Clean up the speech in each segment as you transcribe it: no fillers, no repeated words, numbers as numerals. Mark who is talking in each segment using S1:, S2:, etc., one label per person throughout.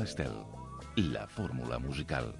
S1: Estel, la fórmula musical.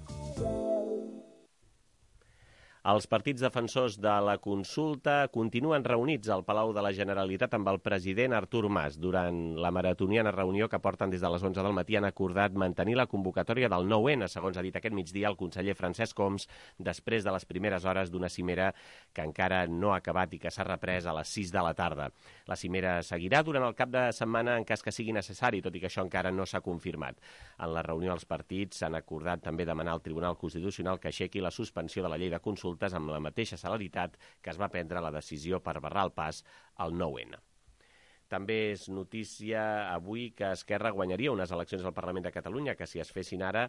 S2: Els partits defensors de la consulta continuen reunits al Palau de la Generalitat amb el president Artur Mas. Durant la maratoniana reunió que porten des de les 11 del matí han acordat mantenir la convocatòria del 9N, segons ha dit aquest migdia el conseller Francesc Homs, després de les primeres hores d'una cimera que encara no ha acabat i que s'ha reprès a les 6 de la tarda. La cimera seguirà durant el cap de setmana en cas que sigui necessari, tot i que això encara no s'ha confirmat. En la reunió els partits han acordat també demanar al Tribunal Constitucional que aixequi la suspensió de la llei de consultes amb la mateixa celeritat que es va prendre la decisió per barrar el pas al 9N. També és notícia avui que Esquerra guanyaria unes eleccions al Parlament de Catalunya, que si es fessin ara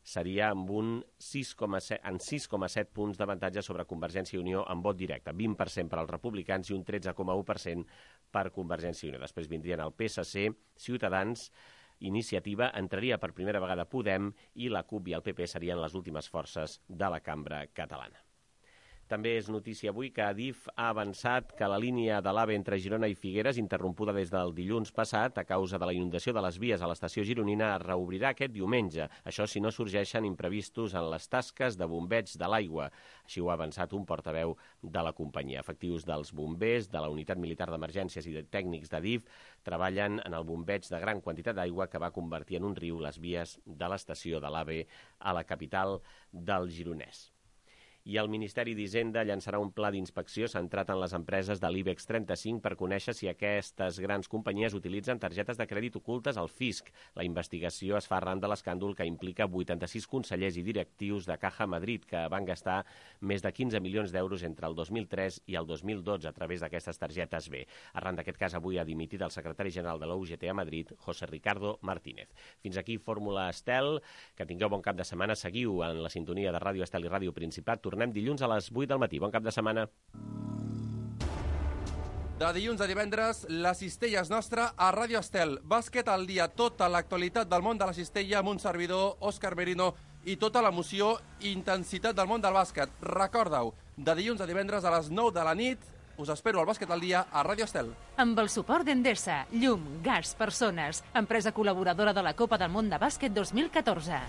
S2: seria amb un 6,7 punts d'avantatge sobre Convergència i Unió en vot directe, 20% per als republicans i un 13,1% per Convergència i Unió. Després vindrien el PSC, Ciutadans, Iniciativa, entraria per primera vegada Podem i la CUP i el PP serien les últimes forces de la cambra catalana. També és notícia avui que Adif ha avançat que la línia de l'AVE entre Girona i Figueres, interrompuda des del dilluns passat a causa de la inundació de les vies a l'estació gironina, es reobrirà aquest diumenge. Això si no sorgeixen imprevistos en les tasques de bombeig de l'aigua. Així ho ha avançat un portaveu de la companyia. Efectius dels bombers, de la Unitat Militar d'Emergències i de tècnics d'Adif treballen en el bombeig de gran quantitat d'aigua que va convertir en un riu les vies de l'estació de l'AVE a la capital del Gironès. I el Ministeri d'Hisenda llançarà un pla d'inspecció centrat en les empreses de l'IBEX 35 per conèixer si aquestes grans companyies utilitzen targetes de crèdit ocultes al fisc. La investigació es fa arran de l'escàndol que implica 86 consellers i directius de Caja Madrid que van gastar més de 15 milions d'euros entre el 2003 i el 2012 a través d'aquestes targetes B. Arran d'aquest cas, avui ha dimitit el secretari general de la UGT a Madrid, José Ricardo Martínez. Fins aquí Fórmula Estel. Que tingueu bon cap de setmana. Seguiu en la sintonia de Ràdio Estel i Ràdio Principat. Tornem dilluns a les 8 del matí. Bon cap de setmana.
S3: De dilluns a divendres, la cistella és nostra a Ràdio Estel. Bàsquet al dia, tota l'actualitat del món de la cistella amb un servidor, Òscar Merino, i tota l'emoció i intensitat del món del bàsquet. Recorda-ho, de dilluns a divendres a les 9 de la nit, us espero al Bàsquet al dia a Ràdio Estel.
S4: Amb el suport d'Endesa, llum, gas, persones, empresa col·laboradora de la Copa del Món de Bàsquet 2014.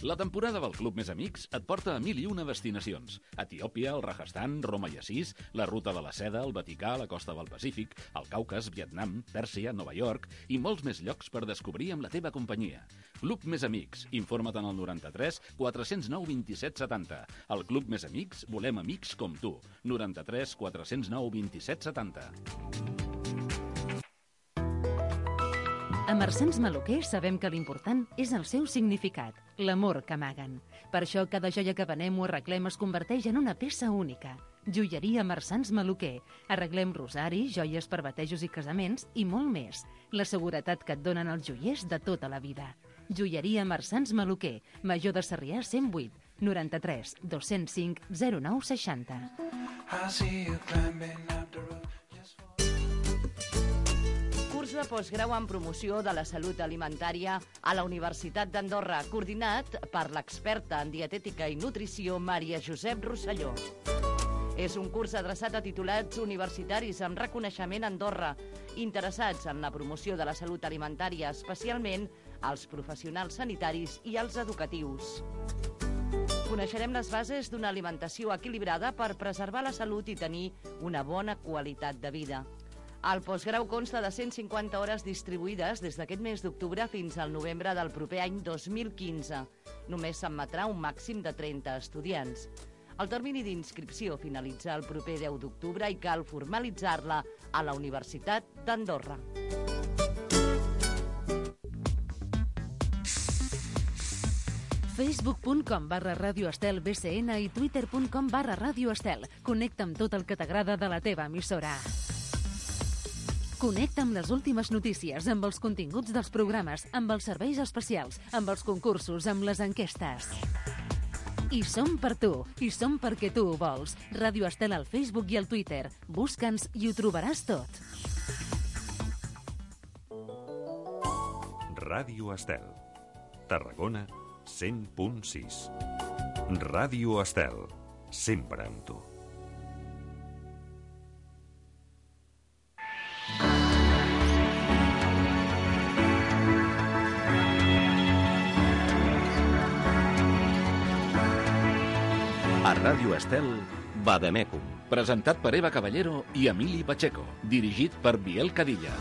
S5: La temporada del Club Més Amics et porta a 1001 destinacions. Etiòpia, el Rajasthan, Roma i Assís, la Ruta de la Seda, el Vaticà, la costa del Pacífic, el Caucas, Vietnam, Pèrsia, Nova York i molts més llocs per descobrir amb la teva companyia. Club Més Amics. Informa't en el 93 409 27 70. Al Club Més Amics volem amics com tu. 93 409 27 70.
S4: A Mercens Maluquer sabem que l'important és el seu significat, l'amor que amaguen. Per això cada joia que venem o arreglem es converteix en una peça única. Joieria Mercens Maluquer. Arreglem rosaris, joies per batejos i casaments i molt més. La seguretat que et donen els joiers de tota la vida. Joieria Mercens Maluquer. Major de Sarrià 108 93 205 09 60.
S6: Curs de postgrau en promoció de la salut alimentària a la Universitat d'Andorra, coordinat per l'experta en dietètica i nutrició Maria Josep Rosselló. És un curs adreçat a titulats universitaris amb reconeixement a Andorra, interessats en la promoció de la salut alimentària, especialment als professionals sanitaris i als educatius. Coneixerem les bases d'una alimentació equilibrada per preservar la salut i tenir una bona qualitat de vida. El postgrau consta de 150 hores distribuïdes des d'aquest mes d'octubre fins al novembre del proper any 2015. Només s'admetrà un màxim de 30 estudiants. El termini d'inscripció finalitza el proper 10 d'octubre i cal formalitzar-la a la Universitat d'Andorra.
S4: Facebook.com/Radio Estel BCN i Twitter.com/Radio Estel. Connecta amb tot el que t'agrada de la teva emissora. Connecta amb les últimes notícies, amb els continguts dels programes, amb els serveis especials, amb els concursos, amb les enquestes. I som per tu, i som perquè tu ho vols. Ràdio Estel al Facebook i al Twitter. Busca'ns i ho trobaràs tot.
S7: Ràdio Estel. Tarragona 100.6. Ràdio Estel. Sempre amb tu.
S1: Ràdio Estel, Vademecum.
S5: Presentat per Eva Caballero i Emili Pacheco. Dirigit per Biel Cadilla.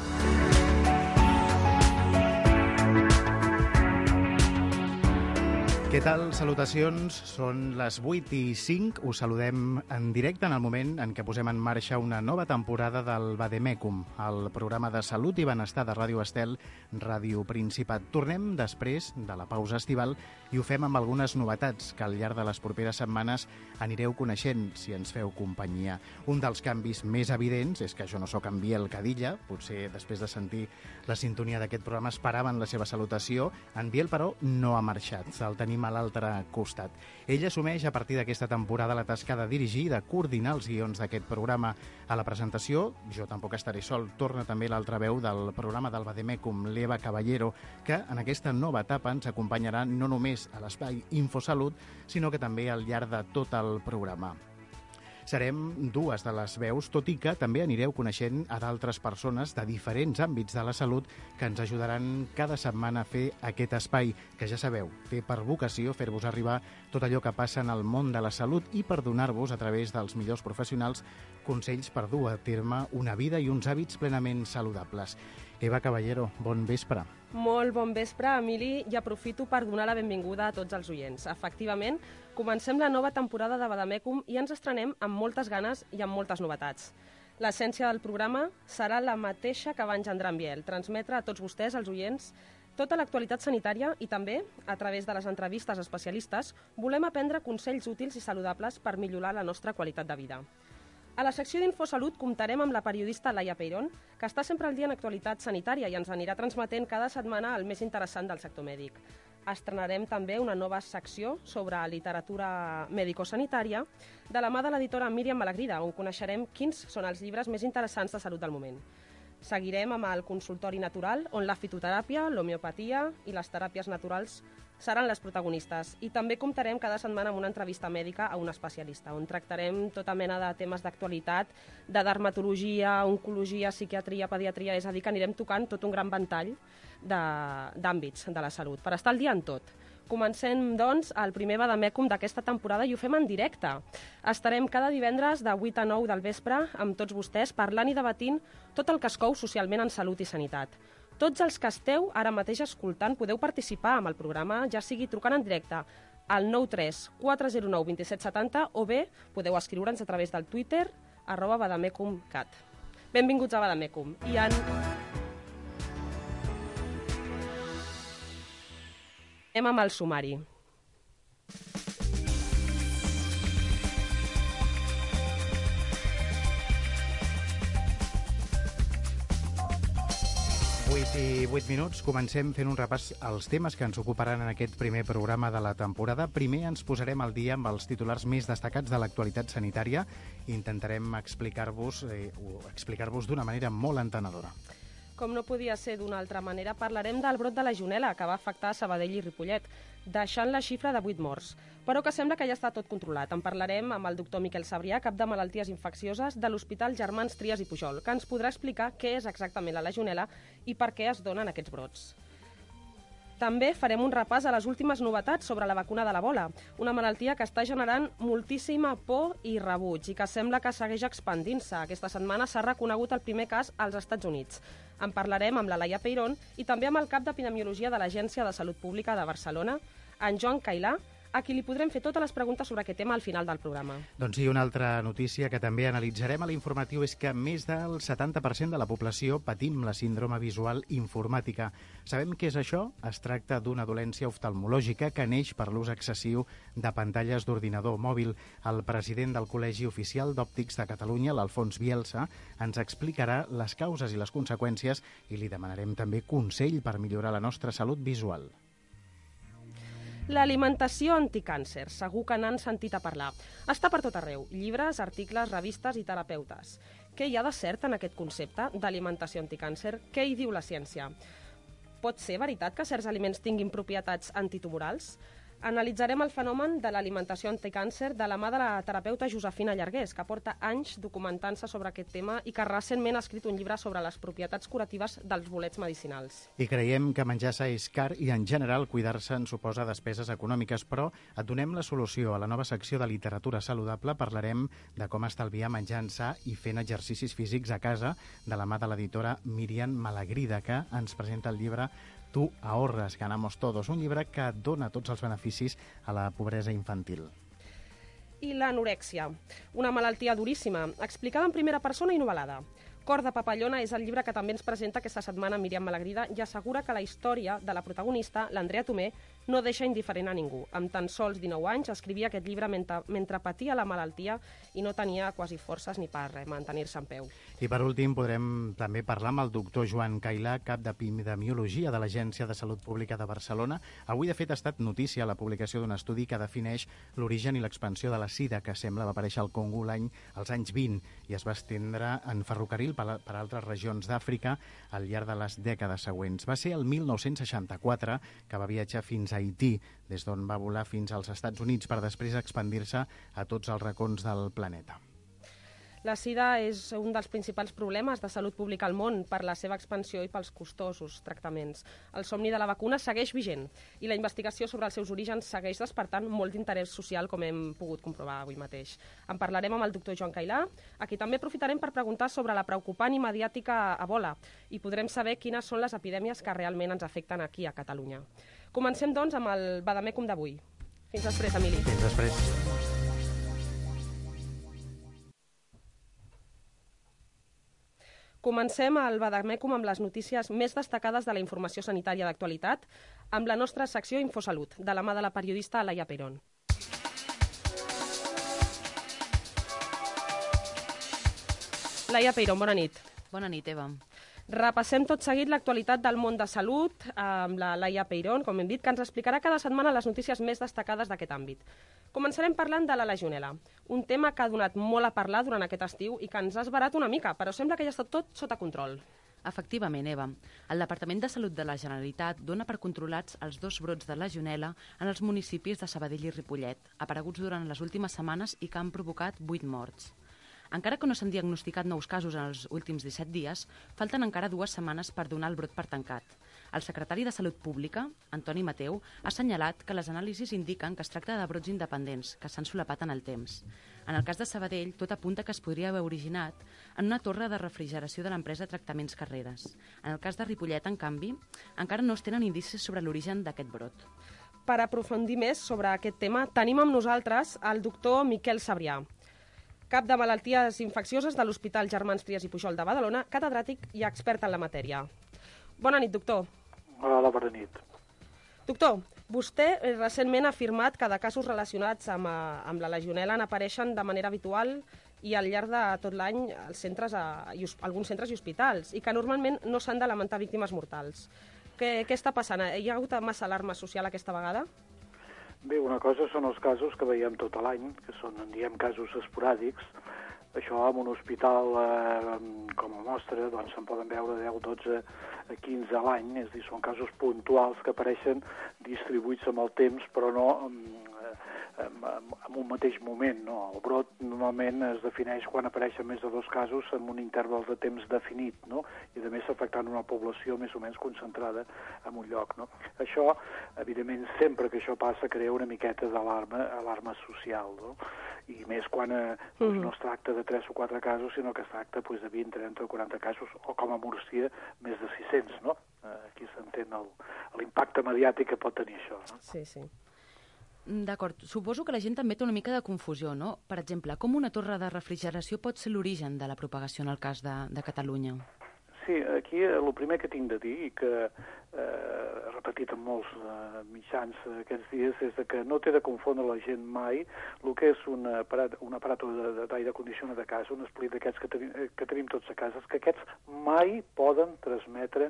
S8: Què tal? Salutacions. Són les 8:05. Us saludem en directe en el moment en què posem en marxa una nova temporada del Vademecum, el programa de salut i benestar de Ràdio Estel, Ràdio Principat. Tornem després de la pausa estival i ho fem amb algunes novetats que al llarg de les properes setmanes anireu coneixent si ens feu companyia. Un dels canvis més evidents és que jo no sóc en Biel Cadilla, potser després de sentir la sintonia d'aquest programa esperaven la seva salutació. En Biel, però, no ha marxat. El tenim a l'altre costat. Ell assumeix a partir d'aquesta temporada la tasca de dirigir i de coordinar els guions d'aquest programa. A la presentació, jo tampoc estaré sol, torna també l'altra veu del programa del Vademecum, l'Eva Caballero, que en aquesta nova etapa ens acompanyarà no només a l'espai Infosalut, sinó que també al llarg de tot el programa. Serem dues de les veus, tot i que també anireu coneixent a d'altres persones de diferents àmbits de la salut que ens ajudaran cada setmana a fer aquest espai, que ja sabeu, té per vocació fer-vos arribar tot allò que passa en el món de la salut i per donar-vos, a través dels millors professionals, consells per dur a terme una vida i uns hàbits plenament saludables. Eva Caballero, bon vespre.
S9: Molt bon vespre, Emili, i aprofito per donar la benvinguda a tots els oients. Efectivament, comencem la nova temporada de Vademecum i ens estrenem amb moltes ganes i amb moltes novetats. L'essència del programa serà la mateixa que va engendrar en Biel, transmetre a tots vostès, els oients, tota l'actualitat sanitària i també, a través de les entrevistes a especialistes, volem aprendre consells útils i saludables per millorar la nostra qualitat de vida. A la secció d'Infosalut comptarem amb la periodista Laia Peirón, que està sempre al dia en actualitat sanitària i ens anirà transmetent cada setmana el més interessant del sector mèdic. Estrenarem també una nova secció sobre literatura mèdico-sanitària de la mà de l'editora Míriam Malagrida, on coneixerem quins són els llibres més interessants de salut del moment. Seguirem amb el consultori natural, on la fitoteràpia, l'homeopatia i les teràpies naturals seran les protagonistes. I també comptarem cada setmana amb una entrevista mèdica a un especialista, on tractarem tota mena de temes d'actualitat, de dermatologia, oncologia, psiquiatria, pediatria, és a dir, que anirem tocant tot un gran ventall d'àmbits de la salut, per estar al dia en tot. Comencem, doncs, el primer Vademecum d'aquesta temporada i ho fem en directe. Estarem cada divendres de 8 a 9 del vespre amb tots vostès parlant i debatint tot el que es cou socialment en salut i sanitat. Tots els que esteu ara mateix escoltant podeu participar amb el programa, ja sigui trucant en directe al 93 409 2770 o bé podeu escriure'ns a través del Twitter @vademecumcat. Benvinguts a Vademecum. I anem amb el sumari.
S8: I 8 minuts, comencem fent un repàs als temes que ens ocuparan en aquest primer programa de la temporada. Primer ens posarem al dia amb els titulars més destacats de l'actualitat sanitària i intentarem explicar-vos d'una manera molt entenedora.
S9: Com no podia ser d'una altra manera, parlarem del brot de legionel·la que va afectar Sabadell i Ripollet, deixant la xifra de 8 morts, però que sembla que ja està tot controlat. En parlarem amb el doctor Miquel Sabrià, cap de malalties infeccioses de l'Hospital Germans Trias i Pujol, que ens podrà explicar què és exactament la legionel·la i per què es donen aquests brots. També farem un repàs a les últimes novetats sobre la vacuna de l'Ebola, una malaltia que està generant moltíssima por i rebuig i que sembla que segueix expandint-se. Aquesta setmana s'ha reconegut el primer cas als Estats Units. En parlarem amb la Laia Peirón i també amb el cap d'Epidemiologia de l'Agència de Salut Pública de Barcelona, en Joan Cailà, a qui li podrem fer totes les preguntes sobre aquest tema al final del programa.
S8: Doncs sí, una altra notícia que també analitzarem a l'informatiu és que més del 70% de la població patim la síndrome visual informàtica. Sabem què és això? Es tracta d'una dolència oftalmològica que neix per l'ús excessiu de pantalles d'ordinador mòbil. El president del Col·legi Oficial d'Òptics de Catalunya, l'Alfons Bielsa, ens explicarà les causes i les conseqüències i li demanarem també consell per millorar la nostra salut visual.
S9: L'alimentació anticàncer, segur que n'han sentit a parlar. Està per tot arreu, llibres, articles, revistes i terapeutes. Què hi ha de cert en aquest concepte d'alimentació anticàncer? Què hi diu la ciència? Pot ser veritat que certs aliments tinguin propietats antitumorals? Analitzarem el fenomen de l'alimentació anticàncer de la mà de la terapeuta Josefina Llargués, que porta anys documentant-se sobre aquest tema i que recentment ha escrit un llibre sobre les propietats curatives dels bolets medicinals.
S8: I creiem que menjar sa és car i, en general, cuidar-se en suposa despeses econòmiques, però et donem la solució. A la nova secció de literatura saludable parlarem de com estalviar menjant sa i fent exercicis físics a casa de la mà de l'editora Míriam Malagrida, que ens presenta el llibre Tu ahorras, ganamos todos, un llibre que dona tots els beneficis a la pobresa infantil.
S9: I l'anorèxia, una malaltia duríssima, explicada en primera persona i novel·lada. Cor de papallona és el llibre que també ens presenta aquesta setmana Míriam Malagrida i assegura que la història de la protagonista, l'Andrea Tomé, no deixa indiferent a ningú. Amb tan sols 19 anys escrivia aquest llibre mentre patia la malaltia i no tenia quasi forces ni per mantenir-se en peu.
S8: I per últim podrem també parlar amb el doctor Joan Cailà, cap d'epidemiologia de l'Agència de Salut Pública de Barcelona. Avui, de fet, ha estat notícia la publicació d'un estudi que defineix l'origen i l'expansió de la sida, que sembla va aparèixer al Congo als anys 20 i es va estendre en ferrocarril per altres regions d'Àfrica al llarg de les dècades següents. Va ser el 1964 que va viatjar fins a Haití, des d'on va volar fins als Estats Units per després expandir-se a tots els racons del planeta.
S9: La sida és un dels principals problemes de salut pública al món per la seva expansió i pels costosos tractaments. El somni de la vacuna segueix vigent i la investigació sobre els seus orígens segueix despertant molt d'interès social, com hem pogut comprovar avui mateix. En parlarem amb el doctor Joan Cailà, a qui també aprofitarem per preguntar sobre la preocupant i mediàtica Ebola i podrem saber quines són les epidèmies que realment ens afecten aquí a Catalunya. Comencem, doncs, amb el Vademecum d'avui. Fins després, Emili.
S8: Fins després.
S9: Comencem el Vademecum amb les notícies més destacades de la informació sanitària d'actualitat, amb la nostra secció Infosalut, de la mà de la periodista Laia Peirón. Laia Peirón, bona nit.
S6: Bona nit, Eva.
S9: Repassem tot seguit l'actualitat del món de salut amb la Laia Peirón, com hem dit, que ens explicarà cada setmana les notícies més destacades d'aquest àmbit. Començarem parlant de la legionel·la, un tema que ha donat molt a parlar durant aquest estiu i que ens ha esverat una mica, però sembla que ja està tot sota control.
S10: Efectivament, Eva. El Departament de Salut de la Generalitat dona per controlats els 2 brots de legionel·la en els municipis de Sabadell i Ripollet, apareguts durant les últimes setmanes i que han provocat 8 morts. Encara que no s'han diagnosticat nous casos en els últims 17 dies, falten encara 2 setmanes per donar el brot per tancat. El secretari de Salut Pública, Antoni Mateu, ha assenyalat que les anàlisis indiquen que es tracta de brots independents, que s'han solapat en el temps. En el cas de Sabadell, tot apunta que es podria haver originat en una torre de refrigeració de l'empresa Tractaments Carreres. En el cas de Ripollet, en canvi, encara no es tenen indicis sobre l'origen d'aquest brot.
S9: Per aprofundir més sobre aquest tema, tenim amb nosaltres el doctor Miquel Sabrià, cap de malalties infeccioses de l'Hospital Germans Trias i Pujol de Badalona, catedràtic i expert en la matèria. Bona nit, doctor.
S11: Hola, bona nit.
S9: Doctor, vostè recentment ha afirmat que de casos relacionats amb la legionel·la n'apareixen de manera habitual i al llarg de tot l'any als centres, alguns centres i hospitals, i que normalment no s'han de lamentar víctimes mortals. Què està passant? Hi ha hagut massa alarma social aquesta vegada?
S11: Bé, una cosa són els casos que veiem tot l'any, que són, en diem, casos esporàdics. Això en un hospital com a mostra, doncs se'n poden veure 10, 12, 15 a l'any, és a dir, són casos puntuals que apareixen distribuïts amb el temps, però no en un mateix moment, no? El brot normalment es defineix quan apareixen més de 2 casos en un interval de temps definit, no? I a més afectant una població més o menys concentrada en un lloc, no? Això, evidentment, sempre que això passa, crea una miqueta d'alarma social, no? I més quan no es tracta de 3 o 4 casos, sinó que es tracta de 20, 30 o 40 casos, o com a Múrcia, més de 600, no? Aquí s'entén l'impacte mediàtic que pot tenir això, no?
S9: Sí, sí.
S10: D'acord. Suposo que la gent també té una mica de confusió, no? Per exemple, com una torre de refrigeració pot ser l'origen de la propagació en el cas de Catalunya?
S11: Sí, aquí el primer que tinc de dir, i que he repetit en molts mitjans aquests dies, és que no té de confondre la gent mai el que és un aparat d'aire condicionat de casa, un split d'aquests que tenim tots a casa, que aquests mai poden transmetre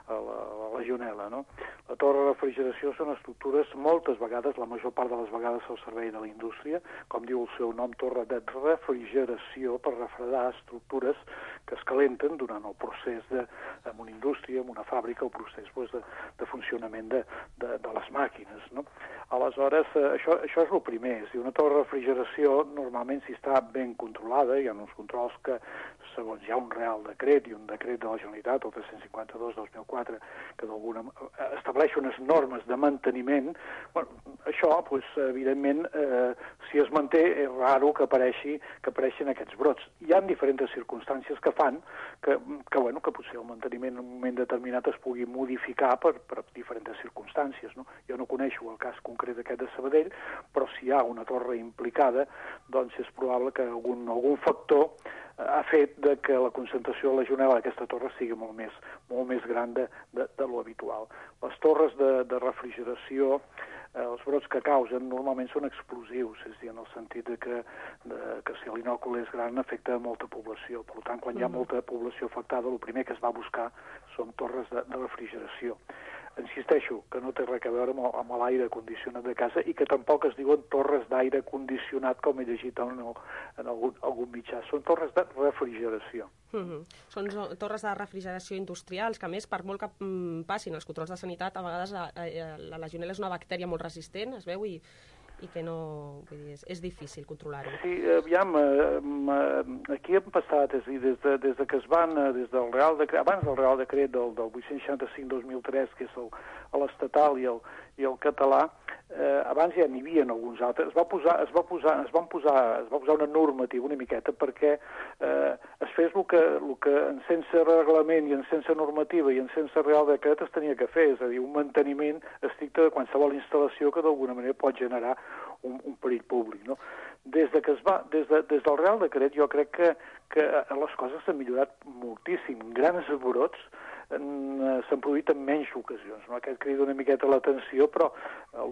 S11: la legionel·la, no? La torre de refrigeració són estructures, moltes vegades, la major part de les vegades al servei de la indústria, com diu el seu nom, torre de refrigeració, per refredar estructures que es calenten durant el procés en una indústria, en una fàbrica, el procés de funcionament de les màquines, no? Aleshores, això és el primer. Si una torre de refrigeració, normalment, si està ben controlada, hi ha uns controls que, segons hi ha un Real Decret i un decret de la Generalitat, el 352-2004, que d'alguna estableix unes normes de manteniment, bueno, això, evidentment, si es manté, és raro que apareixin aquests brots. Hi ha diferents circumstàncies que fan que potser el manteniment en un moment determinat es pugui modificar per diferents circumstàncies, no? Jo no coneixo el cas concret aquest de Sabadell, però si hi ha una torre implicada, doncs és probable que algun factor ha fet que la concentració de legionel·la d'aquesta torre sigui molt més gran de lo habitual. Les torres de refrigeració, els brots que causen normalment són explosius, és a dir, en el sentit que si l'inòcul és gran afecta molta població. Per tant, quan hi ha molta població afectada, el primer que es va buscar són torres de refrigeració. Insisteixo que no té res a veure amb l'aire condicionat de casa i que tampoc es diuen torres d'aire condicionat, com he llegit en algun mitjà. Són torres de refrigeració.
S9: Són torres de refrigeració industrials, que a més, per molt que passin els controls de sanitat, a vegades la legionel·la és una bactèria molt resistent, es veu, i que no... Vull dir, és difícil controlar-ho.
S11: Sí, aviam, aquí hem passat, és a dir, des que es van, des del Real Decret, abans del Real Decret del 865-2003, que és l'estatal i el català, abans ja n'hi havia alguns altres. Es va posar una normativa una miqueta perquè es fes el que sense reglament i sense normativa i sense Real Decret es tenia que fer, és a dir, un manteniment estricte de qualsevol instal·lació que d'alguna manera pot generar un perill públic, no? Des del Real Decret jo crec que les coses s'han millorat moltíssim. Grans brots s'han produït en menys ocasions, no? Aquest crida una miqueta l'atenció, però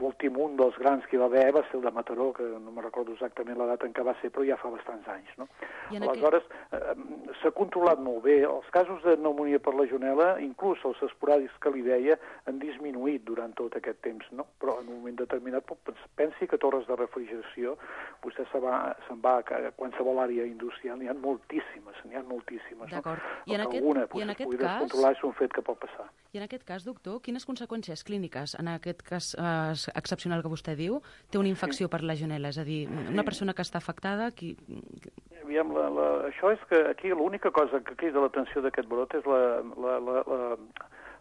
S11: l'últim un dels grans que hi va haver va ser el de Mataró, que no me recordo exactament la data en què va ser, però ja fa bastants anys, no? Aleshores, s'ha controlat molt bé. Els casos de pneumònia per legionel·la, inclús els esporàdics que li deia, han disminuït durant tot aquest temps, no? Però en un moment determinat, pensi que torres de refrigeració, vostè se'n va a qualsevol àrea industrial, n'hi ha moltíssimes,
S10: D'acord.
S11: I en aquest cas... controlar és un fet que pot passar.
S10: I en aquest cas, doctor, quines conseqüències clíniques, en aquest cas excepcional que vostè diu, té una infecció per legionel·la? És a dir, una persona que està afectada...
S11: Aviam, això és que aquí l'única cosa que crida l'atenció d'aquest brot és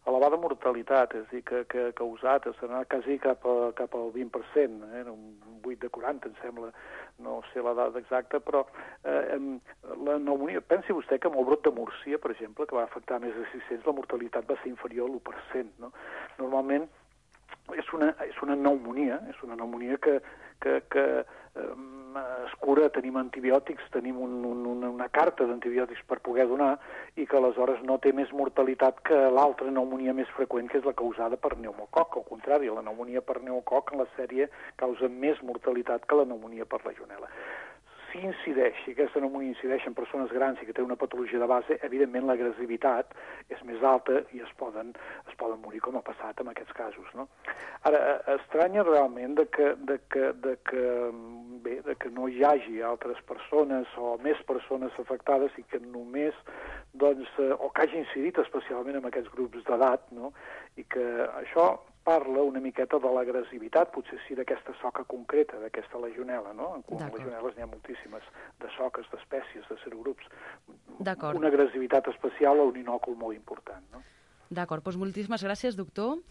S11: l'elevada mortalitat, és a dir, que ha causat, s'ha anat quasi cap al 20%, un 8 de 40, em sembla, no sé la dada exacta, però la pneumònia, pensi vostè que amb el brot de Múrcia, per exemple, que va afectar més de 600, la mortalitat va ser inferior a l'1%, no? Normalment és una pneumònia, que es cura, tenim antibiòtics, tenim una carta d'antibiòtics per poder donar i que aleshores no té més mortalitat que l'altra pneumònia més freqüent, que és la causada per pneumococ. Al contrari, la pneumònia per pneumococ en la sèrie causa més mortalitat que la pneumònia per legionel·la. Si aquesta pneumònia incideix en persones grans i que té una patologia de base, evidentment l'agressivitat és més alta i es poden morir, com ha passat en aquests casos, no? Ara, estranya realment que no hi hagi altres persones o més persones afectades i que només, o que hagi incidit especialment en aquests grups d'edat, no? I que això parla una miqueta de l'agressivitat, potser sí d'aquesta soca concreta, d'aquesta legionel·la, no? En legionel·les n'hi ha moltíssimes, de soques, d'espècies, de serogrups. Una agressivitat especial a un inòcul molt important, no?
S10: D'acord, doncs moltíssimes gràcies, doctor.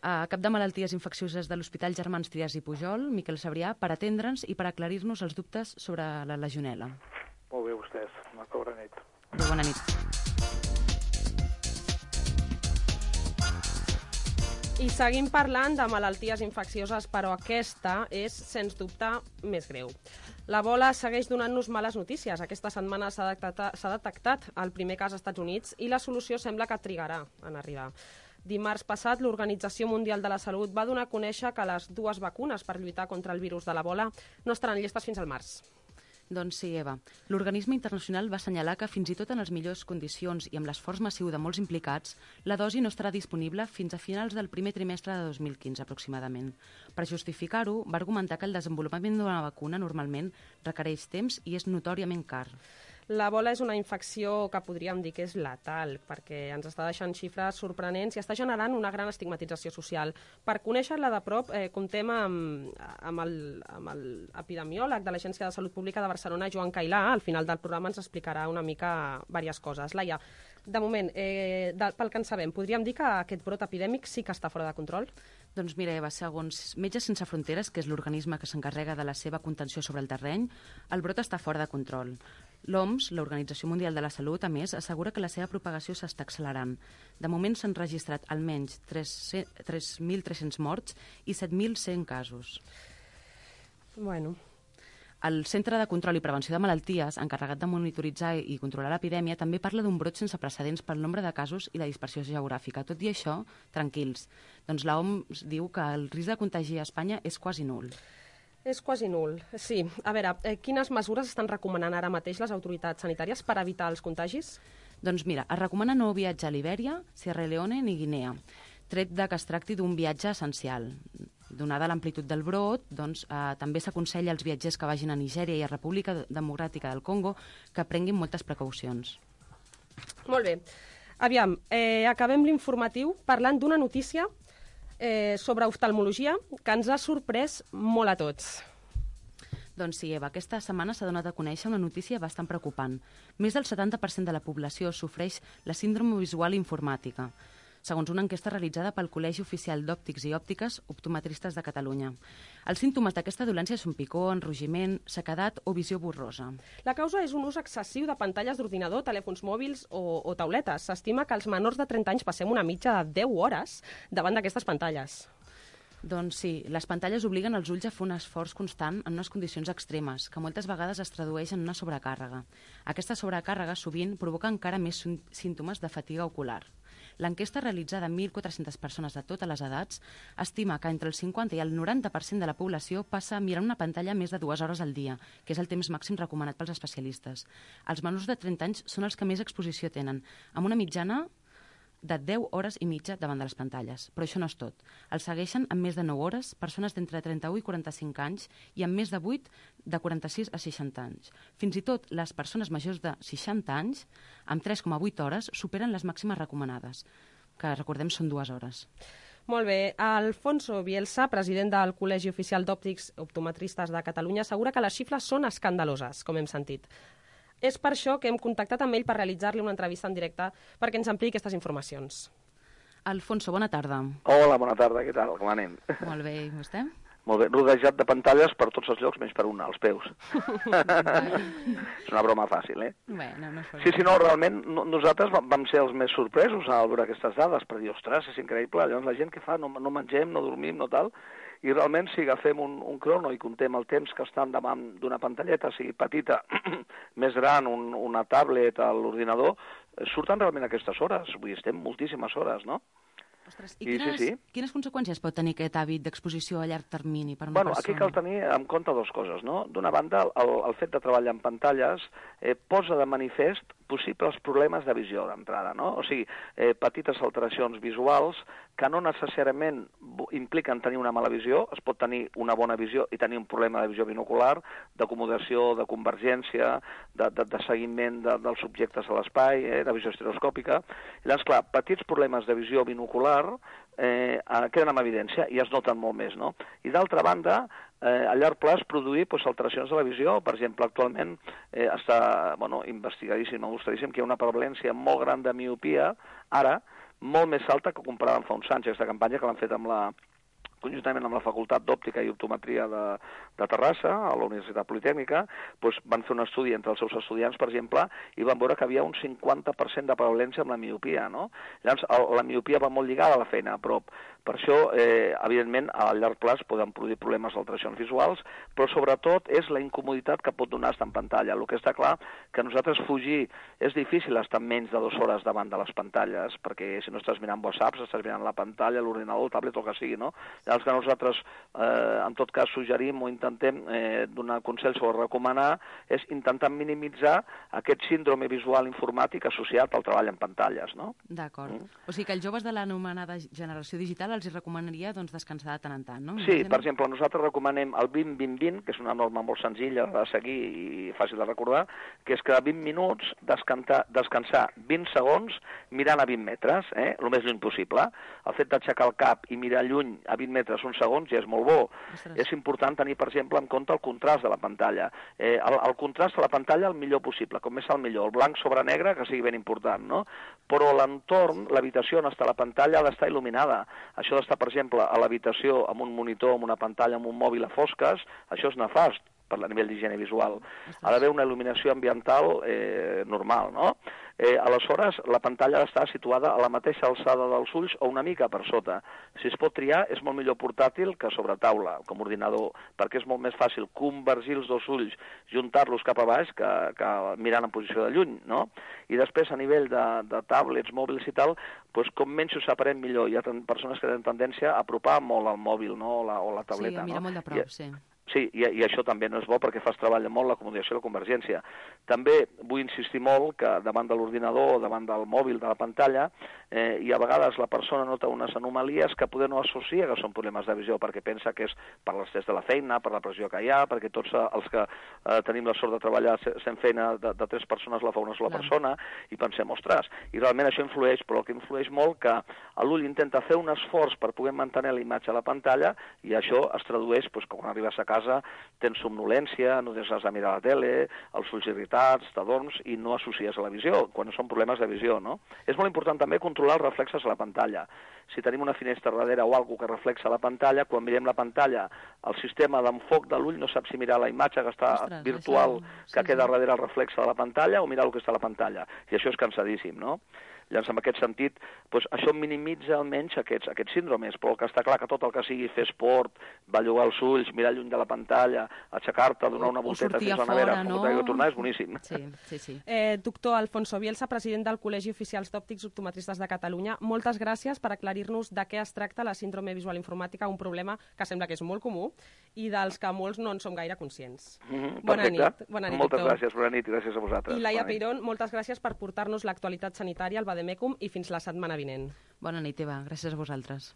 S10: Cap de Malalties Infeccioses de l'Hospital Germans Trias i Pujol, Miquel Sabrià, per atendre'ns i per aclarir-nos els dubtes sobre la legionel·la.
S11: Molt bé, vostès. Bona nit.
S10: Bona nit.
S9: I seguim parlant de malalties infeccioses, però aquesta és, sens dubte, més greu. L'Ebola segueix donant-nos males notícies. Aquesta setmana s'ha detectat el primer cas als Estats Units i la solució sembla que trigarà en arribar. Dimarts passat, l'Organització Mundial de la Salut va donar a conèixer que les dues vacunes per lluitar contra el virus de l'Ebola no estaran llestes fins al març.
S10: Doncs sí, Eva. L'organisme internacional va assenyalar que fins i tot en les millors condicions i amb l'esforç massiu de molts implicats, la dosi no estarà disponible fins a finals del primer trimestre de 2015, aproximadament. Per justificar-ho, va argumentar que el desenvolupament d'una vacuna normalment requereix temps i és notòriament car.
S9: L'Ebola és una infecció que podríem dir que és letal, perquè ens està deixant xifres sorprenents i està generant una gran estigmatització social. Per conèixer-la de prop, comptem amb l'epidemiòleg de l'Agència de Salut Pública de Barcelona, Joan Cailà. Al final del programa ens explicarà una mica diverses coses. Laia, de moment, pel que en sabem, podríem dir que aquest brot epidèmic sí que està fora de control?
S10: Doncs mira, Eva, segons Metges Sense Fronteres, que és l'organisme que s'encarrega de la seva contenció sobre el terreny, el brot està fora de control. L'OMS, l'Organització Mundial de la Salut, a més, assegura que la seva propagació s'està accelerant. De moment s'han registrat almenys 3.300 morts i 7.100 casos.
S9: Bueno.
S10: El Centre de Control i Prevenció de Malalties, encarregat de monitoritzar i controlar l'epidèmia, també parla d'un brot sense precedents pel nombre de casos i la dispersió geogràfica. Tot i això, tranquils. Doncs l'OMS diu que el risc de contagi a Espanya és quasi nul.
S9: És quasi nul, sí. A veure, quines mesures estan recomanant ara mateix les autoritats sanitàries per evitar els contagis?
S10: Doncs mira, es recomana no viatjar a Libèria, Sierra Leone ni Guinea, tret de que es tracti d'un viatge essencial. Donada l'amplitud del brot, doncs, també s'aconsella als viatgers que vagin a Nigèria i a República Democràtica del Congo que prenguin moltes precaucions.
S9: Molt bé. Aviam, acabem l'informatiu parlant d'una notícia sobre oftalmologia que ens ha sorprès molt a tots.
S10: Doncs sí, Eva, aquesta setmana s'ha donat a conèixer una notícia bastant preocupant. Més del 70% de la població sofreix la síndrome visual informàtica, segons una enquesta realitzada pel Col·legi Oficial d'Òptics i Òptiques Optometristes de Catalunya. Els símptomes d'aquesta dolència són picor, enrogiment, sequedat o visió borrosa.
S9: La causa és un ús excessiu de pantalles d'ordinador, telèfons mòbils o tauletes. S'estima que els menors de 30 anys passem una mitja de 10 hores davant d'aquestes pantalles.
S10: Doncs sí, les pantalles obliguen els ulls a fer un esforç constant en unes condicions extremes, que moltes vegades es tradueix en una sobrecàrrega. Aquesta sobrecàrrega sovint provoca encara més símptomes de fatiga ocular. L'enquesta realitzada amb 1.400 persones de totes les edats estima que entre el 50 i el 90% de la població passa mirant una pantalla més de 2 hores al dia, que és el temps màxim recomanat pels especialistes. Els menors de 30 anys són els que més exposició tenen, amb una mitjana de 10 hores i mitja davant de les pantalles. Però això no és tot. Els segueixen amb més de 9 hores persones d'entre 31 i 45 anys i amb més de 8 de 46 a 60 anys. Fins i tot les persones majors de 60 anys, amb 3,8 hores, superen les màximes recomanades, que recordem són 2 hores.
S9: Molt bé. Alfonso Bielsa, president del Col·legi Oficial d'Òptics Optometristes de Catalunya, assegura que les xifres són escandaloses, com hem sentit. És per això que hem contactat amb ell per realitzar-li una entrevista en directe perquè ens ampliï aquestes informacions.
S10: Alfonso, bona tarda.
S12: Hola, bona tarda, què tal? Com anem?
S10: Molt bé, i vostè?
S12: Molt bé, rodejat de pantalles per tots els llocs, menys per una, als peus. És una broma fàcil,
S10: Bueno, no
S12: sí, no, realment nosaltres vam ser els més sorpresos al veure aquestes dades, per dir, ostres, és increïble, llavors la gent què fa? No mengem, no dormim, no tal... I realment, si agafem un crono i contem el temps que estan davant d'una pantalleta, sigui petita, més gran, una tablet, l'ordinador, surten realment aquestes hores. Vull dir, estem moltíssimes hores, no?
S10: Ostres, i quines conseqüències pot tenir aquest hàbit d'exposició a llarg termini per una persona?
S12: Aquí cal tenir en compte dues coses, no? D'una banda, el fet de treballar en pantalles posa de manifest possibles problemes de visió d'entrada, no? O sigui, petites alteracions visuals que no necessàriament impliquen tenir una mala visió, es pot tenir una bona visió i tenir un problema de visió binocular, d'acomodació, de convergència, de seguiment dels objectes a l'espai, de visió estereoscòpica. I llavors, clar, petits problemes de visió binocular queden en evidència i es noten molt més, no? I d'altra banda, a llarg plaç produir alteracions de la visió. Per exemple, actualment està investigadíssim, mostradíssim que hi ha una prevalència molt gran de miopia, ara, molt més alta que comparada amb fa uns anys. Aquesta campanya que l'han fet conjuntament amb la Facultat d'Òptica i Optometria de Terrassa, a la Universitat Politècnica, van fer un estudi entre els seus estudiants, per exemple, i van veure que havia un 50% de prevalència amb la miopia, no? Llavors, la miopia va molt lligada a la feina, però per això, evidentment, a llarg plaç poden produir problemes d'alteracions visuals, però sobretot és la incomoditat que pot donar estar en pantalla. El que està clar que nosaltres fugir és difícil estar menys de 2 hores davant de les pantalles, perquè si no estàs mirant WhatsApp, estàs mirant la pantalla, l'ordinador, el tablet, el que sigui, no? El que nosaltres, en tot cas, suggerim o intentem donar consells o recomanar és intentar minimitzar aquest síndrome visual informàtic associat al treball en pantalles, no?
S10: D'acord. O sigui que els joves de l'anomenada generació digital els hi recomanaria doncs, descansar de tant en tant, no?
S12: Sí, per exemple, nosaltres recomanem el 20-20-20, que és una norma molt senzilla de seguir i fàcil de recordar, que és que a 20 minuts descansar 20 segons mirant a 20 metres, el més lluny possible. El fet d'aixecar el cap i mirar lluny a 20 metres uns segons ja és molt bo. És important tenir, per exemple, en compte el contrast de la pantalla. El contrast de la pantalla el millor possible, com més el millor. El blanc sobre negre, que sigui ben important, no? Però l'entorn, l'habitació on està la pantalla ha d'estar il·luminada. Això d'estar, per exemple, a l'habitació amb un monitor, amb una pantalla, amb un mòbil a fosques, això és nefast per a nivell d'higiene visual. Ha d'haver una il·luminació ambiental normal, no? Aleshores, la pantalla ha d'estar situada a la mateixa alçada dels ulls o una mica per sota. Si es pot triar, és molt millor portàtil que sobre taula, com ordinador, perquè és molt més fàcil convergir els dos ulls, juntar-los cap a baix, que mirant en posició de lluny, no? I després, a nivell de tablets, mòbils i tal, doncs com menys ho separem millor. Hi ha persones que tenen tendència a apropar molt el mòbil, no? O la tableta.
S10: Sí, a mirar molt de prop, sí.
S12: Sí, i això també no és bo perquè fas treballar molt l'acomodació i la convergència. També vull insistir molt que davant de l'ordinador o davant del mòbil, de la pantalla, i a vegades la persona nota unes anomalies que poder no associa que són problemes de visió, perquè pensa que és per l'estrès de la feina, per la pressió que hi ha, perquè tots els que tenim la sort de treballar sent feina de 3 persones la fa una sola persona, i pensem, ostres, i realment això influeix, però el que influeix molt que l'ull intenta fer un esforç per poder mantenir la imatge a la pantalla, i això es tradueix, doncs, quan arribes a casa tens somnolència, no tens res a mirar la tele, els ulls irritats, t'adorms i no associes a la visió, quan són problemes de visió, no? És molt important també controlar els reflexes a la pantalla. Si tenim una finestra darrere o alguna que reflexa la pantalla, quan mirem la pantalla, el sistema d'enfoc de l'ull no sap si mirar la imatge que està virtual, que queda darrere el reflexe de la pantalla, o mirar el que està a la pantalla. I això és cansadíssim, no? Llavors, en aquest sentit, doncs, això minimitza almenys aquests síndromes, però el que està clar que tot el que sigui fer esport, bellugar els ulls, mirar lluny de la pantalla, aixecar-te, donar una volteta fins a la nevera, tornar és boníssim.
S10: Sí.
S9: Doctor Alfonso Bielsa, president del Col·legi Oficials d'Òptics Optometristes de Catalunya, moltes gràcies per aclarir-nos de què es tracta la síndrome visual informàtica, un problema que sembla que és molt comú i dels que molts no en som gaire conscients. Bona nit,
S12: moltes gràcies, bona nit i gràcies a vosaltres.
S9: I Laia Peirón, moltes gràcies per portar-nos l'actualitat sanitària al Vademecum i fins la setmana vinent.
S10: Bona nit, Eva. Gràcies a vosaltres.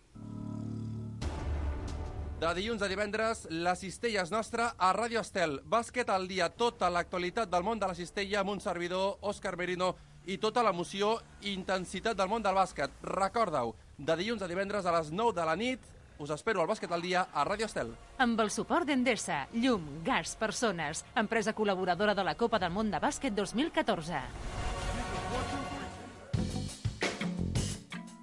S3: De dilluns a divendres, la cistella és nostra a Ràdio Estel. Bàsquet al dia, tota l'actualitat del món de la cistella amb un servidor, Òscar Merino, i tota l'emoció i intensitat del món del bàsquet. Recordeu, de dilluns a divendres a les 9 de la nit, us espero al Bàsquet al dia a Ràdio Estel.
S4: Amb el suport d'Endesa, llum, gas, persones, empresa col·laboradora de la Copa del Món de Bàsquet 2014.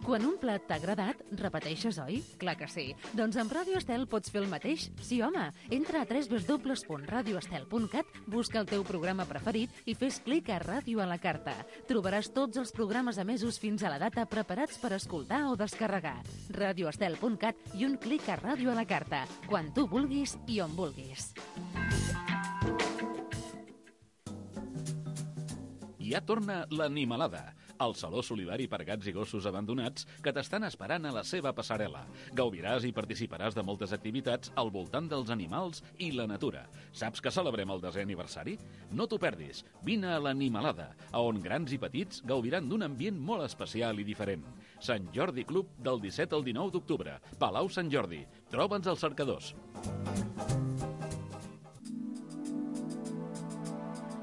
S4: Quan un plat t'ha agradat, repeteixes, oi? Clar que sí. Doncs amb Ràdio Estel pots fer el mateix. Sí, home. Entra a www.radioestel.cat, busca el teu programa preferit i fes clic a Ràdio a la carta. Trobaràs tots els programes emesos fins a la data preparats per escoltar o descarregar. radioestel.cat i un clic a Ràdio a la carta. Quan tu vulguis i on vulguis.
S5: Ja torna l'Animalada, el saló solidari per gats i gossos abandonats que t'estan esperant a la seva passarel·la. Gaudiràs i participaràs de moltes activitats al voltant dels animals i la natura. Saps que celebrem el 10è aniversari? No t'ho perdis. Vine a l'Animalada, on grans i petits gaudiran d'un ambient molt especial i diferent. Sant Jordi Club del 17 al 19 d'octubre. Palau Sant Jordi. Troba'ns als cercadors.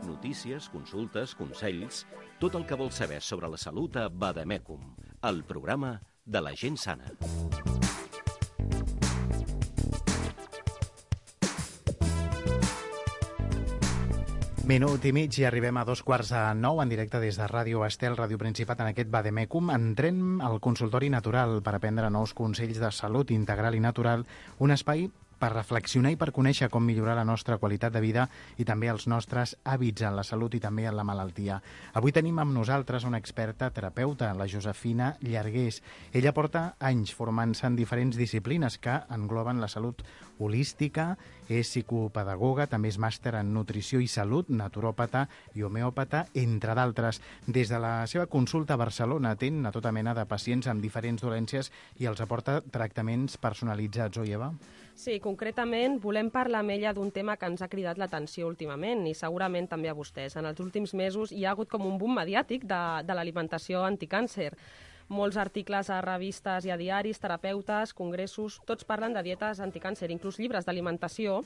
S1: Notícies, consultes, consells, tot el que vols saber sobre la salut a Vademecum, el programa de la gent sana.
S8: Minut i mig i arribem a 8:45 en directe des de Ràdio Estel, Ràdio Principat, en aquest Vademecum. Entrem al consultori natural per aprendre nous consells de salut integral i natural, un espai per reflexionar i per conèixer com millorar la nostra qualitat de vida i també els nostres hàbits en la salut i també en la malaltia. Avui tenim amb nosaltres una experta terapeuta, la Josefina Llargués. Ella porta anys formant-se en diferents disciplines que engloben la salut holística, és psicopedagoga, també és màster en nutrició i salut, naturòpata i homeòpata, entre d'altres. Des de la seva consulta a Barcelona atén a tota mena de pacients amb diferents dolències i els aporta tractaments personalitzats, oi, Eva?
S9: Sí, concretament volem parlar amb ella d'un tema que ens ha cridat l'atenció últimament i segurament també a vostès. En els últims mesos hi ha hagut com un boom mediàtic de l'alimentació anticàncer. Molts articles a revistes i a diaris, terapeutes, congressos, tots parlen de dietes anticàncer, inclús llibres d'alimentació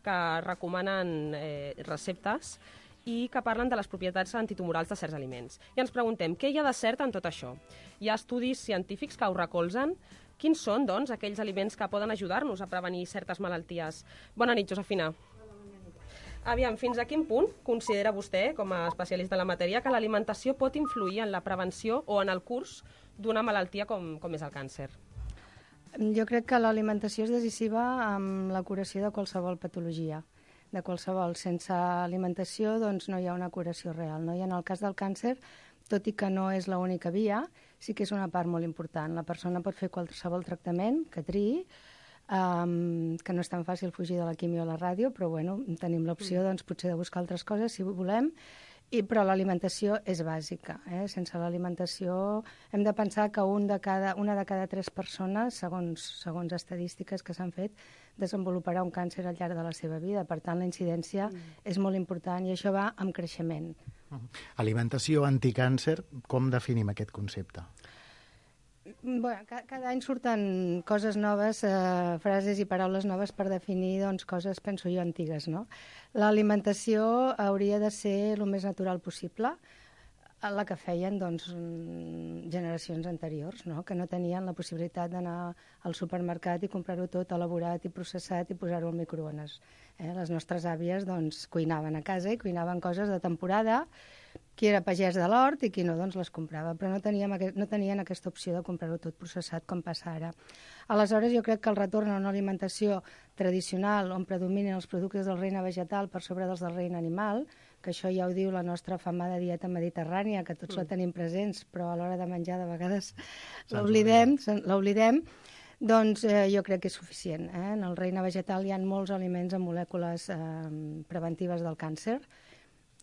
S9: que recomanen receptes i que parlen de les propietats antitumorals de certs aliments. I ens preguntem, què hi ha de cert en tot això? Hi ha estudis científics que ho recolzen? Quins són, doncs, aquells aliments que poden ajudar-nos a prevenir certes malalties? Bona nit, Josefina. Aviam, fins a quin punt considera vostè, com a especialista en la matèria, que l'alimentació pot influir en la prevenció o en el curs d'una malaltia com és el càncer?
S13: Jo crec que l'alimentació és decisiva amb la curació de qualsevol patologia, de qualsevol. Sense alimentació doncs, no hi ha una curació real. No? I en el cas del càncer, tot i que no és l'única via, sí que és una part molt important. La persona pot fer qualsevol tractament que triï, que no és tan fàcil fugir de la quimio o la ràdio, però bueno, tenim l'opció doncs, potser de buscar altres coses si volem, però l'alimentació és bàsica. Sense l'alimentació hem de pensar que una de cada 3 persones, segons estadístiques que s'han fet, desenvoluparà un càncer al llarg de la seva vida. Per tant, la incidència és molt important i això va amb creixement.
S8: Alimentació anticàncer, com definim aquest concepte?
S13: Bueno, cada any surten coses noves, frases i paraules noves per definir doncs, coses, penso jo, antigues. No? L'alimentació hauria de ser el més natural possible, la que feien doncs, generacions anteriors, no? Que no tenien la possibilitat d'anar al supermercat i comprar-ho tot elaborat i processat i posar-ho al microones. Les nostres àvies doncs, cuinaven a casa i cuinaven coses de temporada, qui era pagès de l'hort i qui no doncs, les comprava, però no tenien aquesta opció de comprar-ho tot processat com passa ara. Aleshores, jo crec que el retorn a una alimentació tradicional on predominen els productes del regne vegetal per sobre dels del regne animal, que això ja ho diu la nostra famada dieta mediterrània, que tots la tenim presents, però a l'hora de menjar de vegades l'oblidem, doncs jo crec que és suficient. En el regne vegetal hi ha molts aliments amb molècules preventives del càncer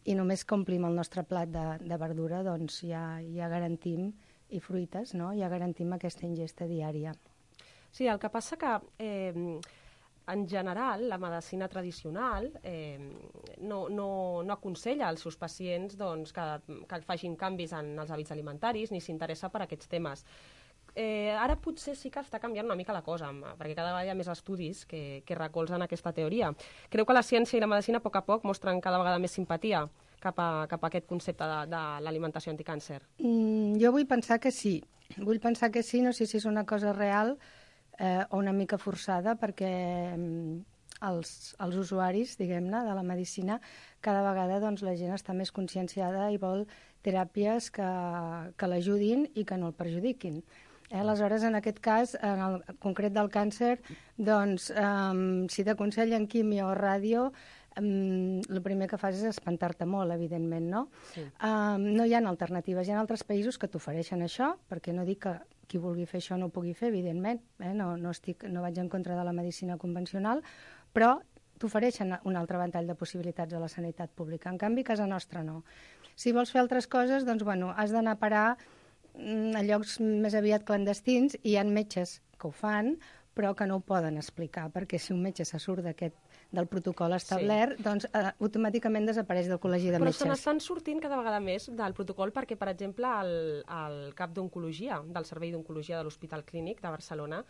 S13: i només que omplim el nostre plat de verdura, doncs ja garantim, i fruites, no? Ja garantim aquesta ingesta diària.
S9: Sí, el que passa que en general la medicina tradicional no aconsella als seus pacients doncs, que facin canvis en els hàbits alimentaris ni s'interessa per aquests temes. Ara potser sí que està canviant una mica la cosa, perquè cada vegada hi ha més estudis que recolzen aquesta teoria. Creu que la ciència i la medicina a poc a poc mostren cada vegada més simpatia cap a aquest concepte de l'alimentació anticàncer?
S13: Jo vull pensar que sí. Vull pensar que sí, no sé si és una cosa real o una mica forçada, perquè els usuaris, diguem-ne, de la medicina, cada vegada doncs, la gent està més conscienciada i vol teràpies que l'ajudin i que no el perjudiquin. Aleshores, en aquest cas, en el concret del càncer, doncs, si t'aconsellen quimio o ràdio, el primer que fas és espantar-te molt, evidentment, no? Sí. No hi ha alternatives. Hi ha altres països que t'ofereixen això, perquè no dic que qui vulgui fer això no ho pugui fer, evidentment. No vaig en contra de la medicina convencional, però t'ofereixen un altre ventall de possibilitats a la sanitat pública. En canvi, a casa nostra no. Si vols fer altres coses, doncs, bueno, has d'anar a parar a llocs més aviat clandestins, i hi ha metges que ho fan, però que no ho poden explicar, perquè si un metge se surt del protocol establert, sí, doncs automàticament desapareix del col·legi de metges.
S9: Però se n'estan sortint cada vegada més del protocol, perquè, per exemple, el cap d'oncologia, del Servei d'Oncologia de l'Hospital Clínic de Barcelona,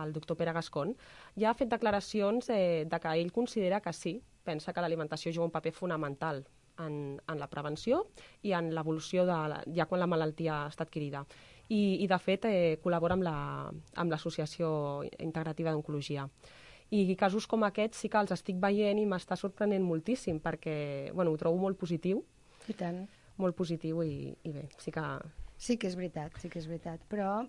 S9: el doctor Pere Gascon, ja ha fet declaracions de que ell considera que sí, pensa que l'alimentació juga un paper fonamental en la prevenció i en l'evolució ja quan la malaltia està adquirida. I de fet, col·labora amb l'Associació Integrativa d'Oncologia. I casos com aquests sí que els estic veient i m'està sorprenent moltíssim, perquè ho trobo molt positiu.
S13: I tant.
S9: Molt positiu i bé, sí que...
S13: Sí que és veritat, però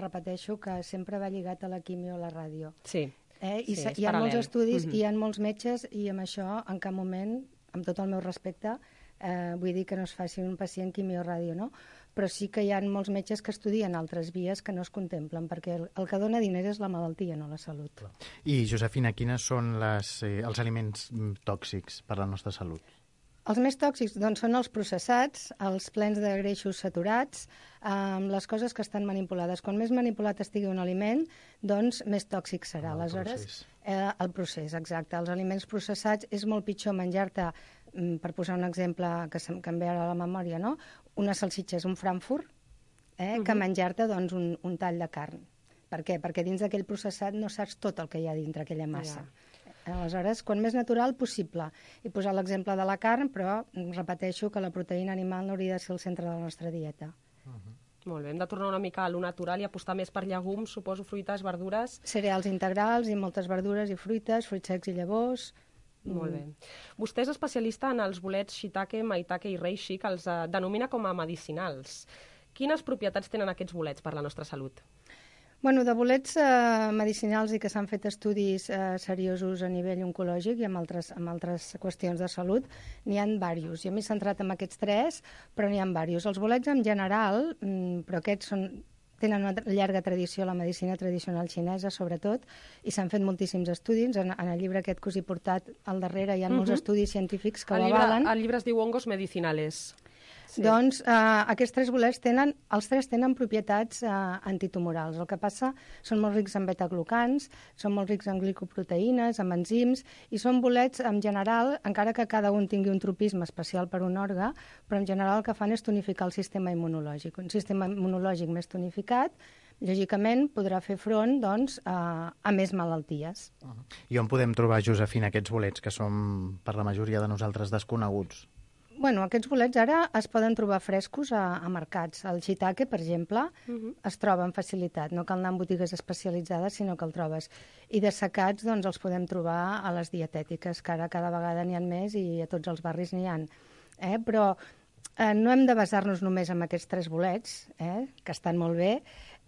S13: repeteixo que sempre va lligat a la quimio o la ràdio.
S9: Sí.
S13: I
S9: Sí, és
S13: hi ha molts
S9: paral·lel.
S13: estudis, i hi ha molts metges, i amb això, en cap moment, amb tot el meu respecte, vull dir que no es faci un pacient quimio-ràdio, no? Però sí que hi ha molts metges que estudien altres vies que no es contemplen, perquè el que dona diners és la malaltia, no la salut.
S8: I, Josefina, quines són els aliments tòxics per a la nostra salut?
S13: Els més tòxics doncs, són els processats, els plens de greixos saturats, les coses que estan manipulades. Quan més manipulat estigui un aliment, doncs més tòxic serà. Aleshores, el procés, exacte. Els aliments processats és molt pitjor menjar-te, per posar un exemple que em ve ara a la memòria, no? Una salsitxa és un Frankfurt, que menjar-te doncs, un tall de carn. Per què? Perquè dins d'aquell processat no saps tot el que hi ha dintre aquella massa. Aleshores, quan més natural possible. He posat l'exemple de la carn, però repeteixo que la proteïna animal no hauria de ser el centre de la nostra dieta.
S9: Molt bé, hem de tornar una mica a lo natural i apostar més per llegums, suposo, fruites, verdures.
S13: Cereals integrals i moltes verdures i fruites, fruits secs i llavors.
S9: Molt bé. Vostè és especialista en els bolets shiitake, maitake i reishi, que els denomina com a medicinals. Quines propietats tenen aquests bolets per la nostra salut?
S13: Bueno, de bolets medicinals i que s'han fet estudis seriosos a nivell oncològic i amb altres qüestions de salut, n'hi ha diversos. Jo m'he centrat en aquests 3, però n'hi ha diversos. Els bolets en general, però aquests tenen una llarga tradició, la medicina tradicional xinesa, sobretot, i s'han fet moltíssims estudis. En el llibre aquest que us he portat al darrere hi ha molts estudis científics que ho avalen.
S9: El llibre es diu Hongos Medicinales.
S13: Sí. Doncs aquests 3 bolets els 3 tenen propietats antitumorals. El que passa són molt rics en betaglucans, són molt rics en glicoproteïnes, en enzims, i són bolets en general, encara que cada un tingui un tropisme especial per un òrgan, però en general el que fan és tonificar el sistema immunològic. Un sistema immunològic més tonificat, lògicament, podrà fer front doncs, a més malalties.
S8: I on podem trobar, Josefina, aquests bolets que són per la majoria de nosaltres desconeguts?
S13: Bueno, aquests bolets ara es poden trobar frescos a mercats. El shiitake, per exemple, es troba amb facilitat. No cal anar en botigues especialitzades, sinó que el trobes. I de secats, doncs, els podem trobar a les dietètiques, que ara cada vegada n'hi ha més i a tots els barris n'hi ha. Però no hem de basar-nos només en aquests 3 bolets, que estan molt bé,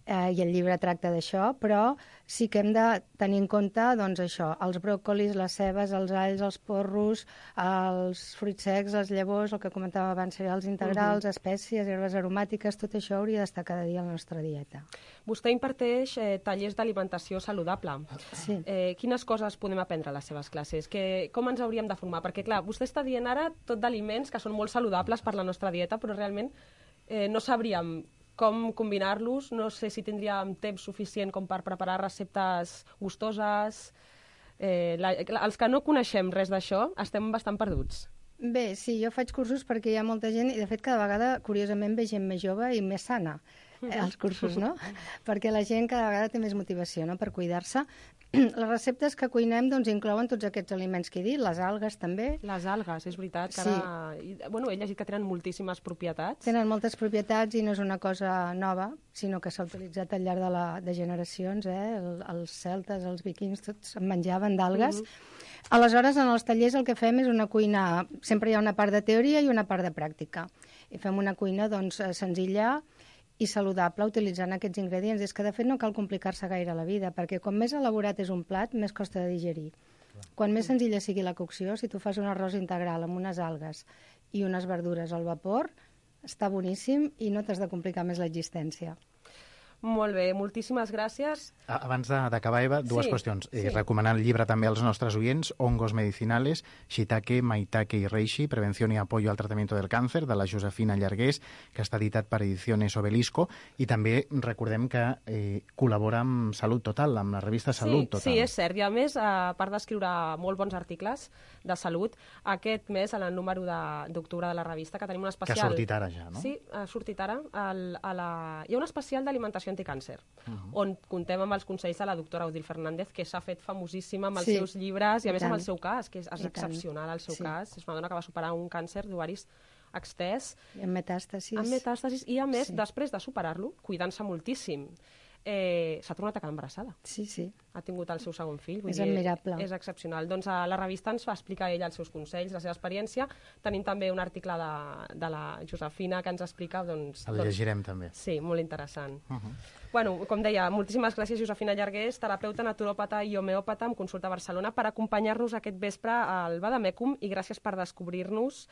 S13: i el llibre tracta d'això, però sí que hem de tenir en compte doncs, això, els bròcolis, les cebes, els alls, els porros, els fruits secs, les llavors, el que comentava abans, cereals integrals, espècies, herbes aromàtiques, tot això hauria d'estar cada dia a la nostra dieta.
S9: Vostè imparteix tallers d'alimentació saludable.
S13: Sí.
S9: Quines coses podem aprendre a les seves classes? Com ens hauríem de formar? Perquè, clar, vostè està dient ara tot d'aliments que són molt saludables per la nostra dieta, però realment no sabríem com combinar-los, no sé si tindríem temps suficient com per preparar receptes gustoses. Els que no coneixem res d'això estem bastant perduts.
S13: Bé, sí, jo faig cursos perquè hi ha molta gent, i de fet cada vegada, curiosament, ve gent més jove i més sana als cursos, no? Perquè la gent cada vegada té més motivació, no?, per cuidar-se. Les receptes que cuinem doncs, inclouen tots aquests aliments que he dit, les algues també.
S9: Les algues, és veritat. Que ara... Bueno, he llegit que tenen moltíssimes propietats.
S13: Tenen moltes propietats i no és una cosa nova, sinó que s'ha utilitzat al llarg de generacions. Els celtes, els vikings, tots en menjaven d'algues. Aleshores, en els tallers el que fem és una cuina... Sempre hi ha una part de teoria i una part de pràctica. I fem una cuina doncs, senzilla i saludable utilitzant aquests ingredients. És que, de fet, no cal complicar-se gaire la vida, perquè com més elaborat és un plat, més costa de digerir. Quan més senzilla sigui la cocció, si tu fas un arròs integral amb unes algues i unes verdures al vapor, està boníssim i no t'has de complicar més l'existència.
S9: Molt bé, moltíssimes gràcies.
S8: Abans d'acabar, Eva, dues qüestions. Recomanar el llibre també als nostres oients, Hongos Medicinales, Shiitake, Maitake i Reishi, Prevención y Apoyo al Tratamiento del Cáncer, de la Josefina Llargués, que està editat per Ediciones Obelisco, i també recordem que col·labora amb Salut Total, amb la revista Salut Total.
S9: Sí, és cert. I a més, a part d'escriure molt bons articles de salut, aquest mes, en el número d'octubre de la revista, que tenim un especial...
S8: Que ha sortit ara ja, no?
S9: Sí, ha sortit ara. Hi ha un especial d'alimentació anticàncer, on contem amb els consells de la doctora Odil Fernández, que s'ha fet famosíssima amb els seus llibres i a més amb el seu cas, que és excepcional el seu cas. És una dona que va superar un càncer d'ovaris extès.
S13: I amb metàstasis.
S9: I a més, després de superar-lo, cuidant-se moltíssim. s'ha tornat a quedar embarassada.
S13: Sí.
S9: Ha tingut el seu segon fill.
S13: És admirable.
S9: És excepcional. Doncs a la revista ens va explicar ella els seus consells, la seva experiència. Tenim també un article de la Josefina que ens explica...
S8: El llegirem també.
S9: Sí, molt interessant. Bueno, com deia, moltíssimes gràcies Josefina Llargués, terapeuta, naturòpata i homeòpata amb consulta a Barcelona, per acompanyar-nos aquest vespre al Vademecum, i gràcies per descobrir-nos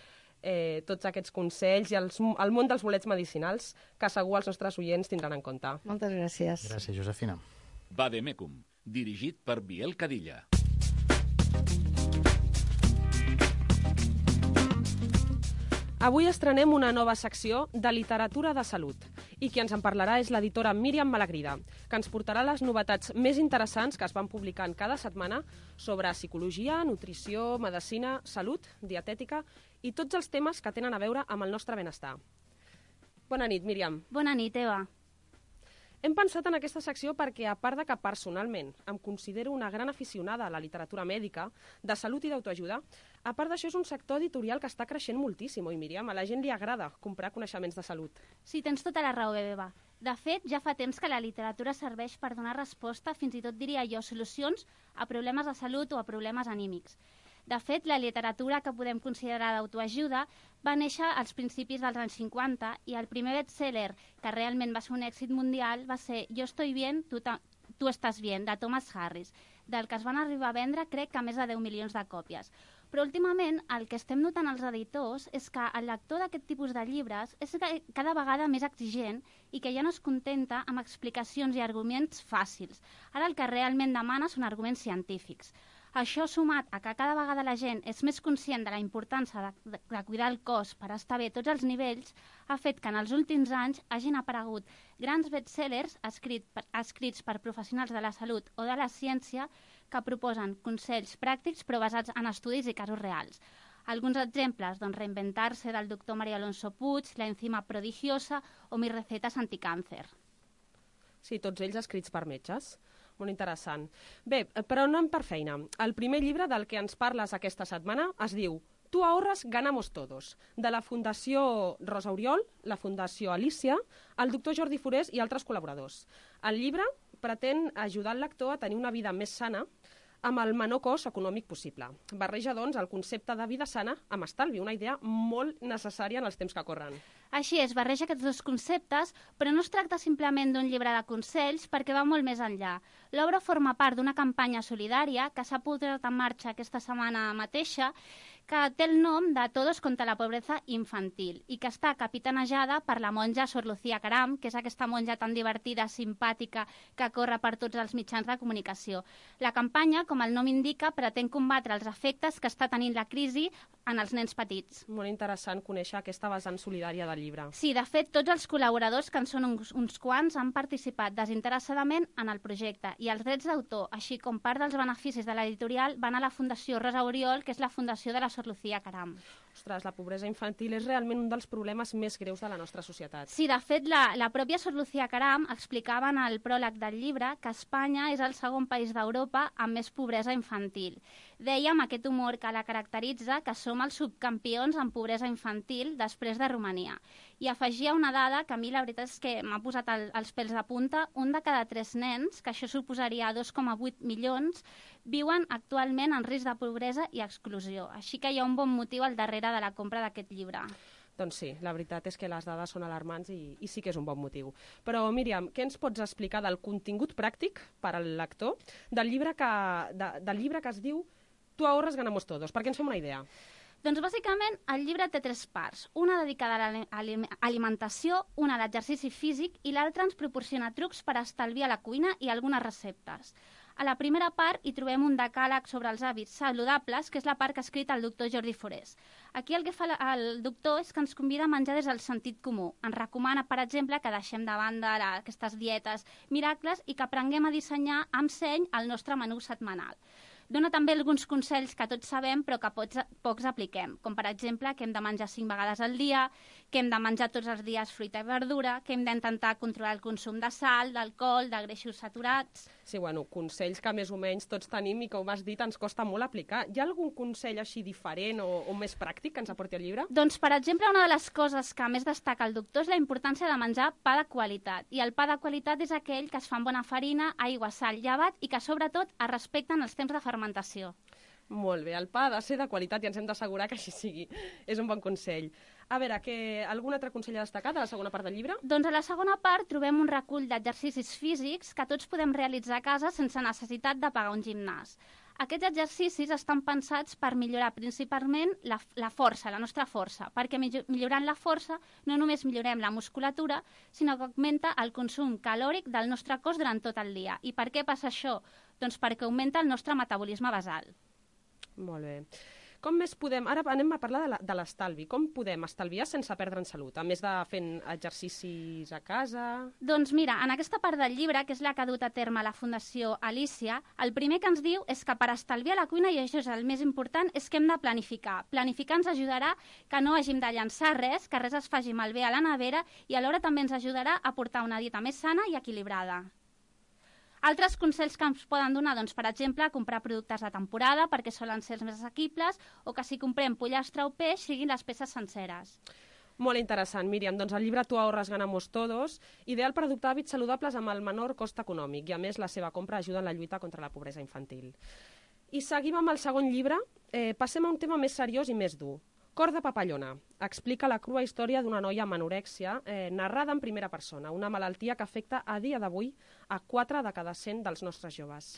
S9: tots aquests consells i el món dels bolets medicinals que segur els nostres oients tindran en compte.
S13: Moltes gràcies.
S8: Gràcies, Josefina.
S5: Vademecum, dirigit per Biel Cadilla.
S9: Avui estrenem una nova secció de literatura de salut i qui ens en parlarà és l'editora Míriam Malagrida, que ens portarà les novetats més interessants que es van publicant cada setmana sobre psicologia, nutrició, medicina, salut, dietètica i tots els temes que tenen a veure amb el nostre benestar. Bona nit, Míriam.
S14: Bona nit, Eva.
S9: Hem pensat en aquesta secció perquè, a part de que personalment em considero una gran aficionada a la literatura mèdica, de salut i d'autoajuda, a part d'això és un sector editorial que està creixent moltíssim, oi, Míriam? A la gent li agrada comprar coneixements de salut.
S14: Sí, tens tota la raó, Eva. De fet, ja fa temps que la literatura serveix per donar resposta, fins i tot diria jo, solucions a problemes de salut o a problemes anímics. De fet, la literatura que podem considerar d'autoajuda va néixer als principis dels anys 50 i el primer best-seller que realment va ser un èxit mundial va ser Jo estoy bien, tu estàs bien, de Thomas Harris, del que es van arribar a vendre crec que més de 10 milions de còpies. Però últimament el que estem notant els editors és que el lector d'aquest tipus de llibres és cada vegada més exigent i que ja no es contenta amb explicacions i arguments fàcils. Ara el que realment demana són arguments científics. Això, sumat a que cada vegada la gent és més conscient de la importància de cuidar el cos per estar bé a tots els nivells, ha fet que en els últims anys hagin aparegut grans bestsellers escrits per professionals de la salut o de la ciència que proposen consells pràctics però basats en estudis i casos reals. Alguns exemples, Reinventar-se del doctor María Alonso Puig, La enzima prodigiosa o Mis recetes anticàncer.
S9: Sí, tots ells escrits per metges. Molt interessant. Bé, però no anem per feina. El primer llibre del que ens parles aquesta setmana es diu Tu ahorras, ganamos todos, de la Fundació Rosa Oriol, la Fundació Alicia, el doctor Jordi Forés i altres col·laboradors. El llibre pretén ajudar el lector a tenir una vida més sana amb el menor cost econòmic possible. Barreja, doncs, el concepte de vida sana amb estalvi, una idea molt necessària en els temps que corren.
S14: Així és, barreja aquests dos conceptes, però no es tracta simplement d'un llibre de consells perquè va molt més enllà. L'obra forma part d'una campanya solidària que s'ha posat en marxa aquesta setmana mateixa, que té el nom de Todos contra la pobreza infantil i que està capitanejada per la monja Sor Lucía Caram, que és aquesta monja tan divertida, simpàtica, que corre per tots els mitjans de comunicació. La campanya, com el nom indica, pretén combatre els efectes que està tenint la crisi en els nens petits.
S9: Molt interessant conèixer aquesta vessant solidària del llibre.
S14: Sí, de fet, tots els col·laboradors, que en són uns quants, han participat desinteressadament en el projecte i els drets d'autor, així com part dels beneficis de l'editorial, van a la Fundació Rosa Oriol, que és la fundació de la Sor Lucía Caram.
S9: Ostres, la pobresa infantil és realment un dels problemes més greus de la nostra societat.
S14: Sí, de fet, la pròpia Sor Lucía Caram explicava en el pròleg del llibre que Espanya és el segon país d'Europa amb més pobresa infantil. Deia amb aquest humor que la caracteritza que som els subcampions en pobresa infantil després de Romania. I afegia una dada que a mi la veritat és que m'ha posat els pèls de punta. Un de cada 3 nens, que això suposaria 2,8 milions, viuen actualment en risc de pobresa i exclusió. Així que hi ha un bon motiu al darrere de la compra d'aquest llibre.
S9: Doncs sí, la veritat és que les dades són alarmants i sí que és un bon motiu. Però, Míriam, què ens pots explicar del contingut pràctic per al lector del llibre que es diu Tu ahorras, ganamos todos? Perquè ens fem una idea.
S14: Doncs bàsicament el llibre té 3 parts, una dedicada a l'alimentació, una a l'exercici físic i l'altra ens proporciona trucs per estalviar la cuina i algunes receptes. A la primera part hi trobem un decàleg sobre els hàbits saludables, que és la part que ha escrit el doctor Jordi Forés. Aquí el que fa el doctor és que ens convida a menjar des del sentit comú. Ens recomana, per exemple, que deixem de banda aquestes dietes miracles i que aprenguem a dissenyar amb seny el nostre menú setmanal. Dona també alguns consells que tots sabem però que pocs apliquem, com per exemple que hem de menjar 5 vegades al dia, que hem de menjar tots els dies fruita i verdura, que hem d'intentar controlar el consum de sal, d'alcohol, de greixos saturats.
S9: Sí, bueno, consells que més o menys tots tenim i, com has dit, ens costa molt aplicar. Hi ha algun consell així diferent o més pràctic que ens aporti el llibre?
S14: Doncs, per exemple, una de les coses que més destaca el doctor és la importància de menjar pa de qualitat. I el pa de qualitat és aquell que es fa amb bona farina, aigua, sal, llevat i que, sobretot, es respecten els temps de fermentació.
S9: Molt bé, el pa ha de ser de qualitat i ens hem d'assegurar que així sigui. És un bon consell. A veure, algun altre consell a destacar de la segona part del llibre?
S14: Doncs a la segona part trobem un recull d'exercicis físics que tots podem realitzar a casa sense necessitat de pagar un gimnàs. Aquests exercicis estan pensats per millorar principalment la força, la nostra força, perquè millorant la força no només millorem la musculatura, sinó que augmenta el consum calòric del nostre cos durant tot el dia. I per què passa això? Doncs perquè augmenta el nostre metabolisme basal.
S9: Molt bé. Com més podem... Ara anem a parlar de l'estalvi. Com podem estalviar sense perdre en salut, a més de fent exercicis a casa?
S14: Doncs mira, en aquesta part del llibre, que és la que ha dut a terme la Fundació Alícia, el primer que ens diu és que per estalviar la cuina, i això és el més important, és que hem de planificar. Planificar ens ajudarà que no hàgim de llançar res, que res es faci malbé a la nevera, i alhora també ens ajudarà a portar una dieta més sana i equilibrada. Altres consells que ens poden donar, doncs, per exemple, comprar productes de temporada perquè solen ser els més assequibles o que si comprem pollastre o peix siguin les peces senceres.
S9: Molt interessant, Míriam. Doncs el llibre Tu ahorras ganamos todos, ideal per adoptar hàbits saludables amb el menor cost econòmic i, a més, la seva compra ajuda en la lluita contra la pobresa infantil. I seguim amb el segon llibre. Passem a un tema més seriós i més dur. Cor de papallona. Explica la crua història d'una noia amb anorèxia narrada en primera persona, una malaltia que afecta a dia d'avui a 4 de cada 100 dels nostres joves.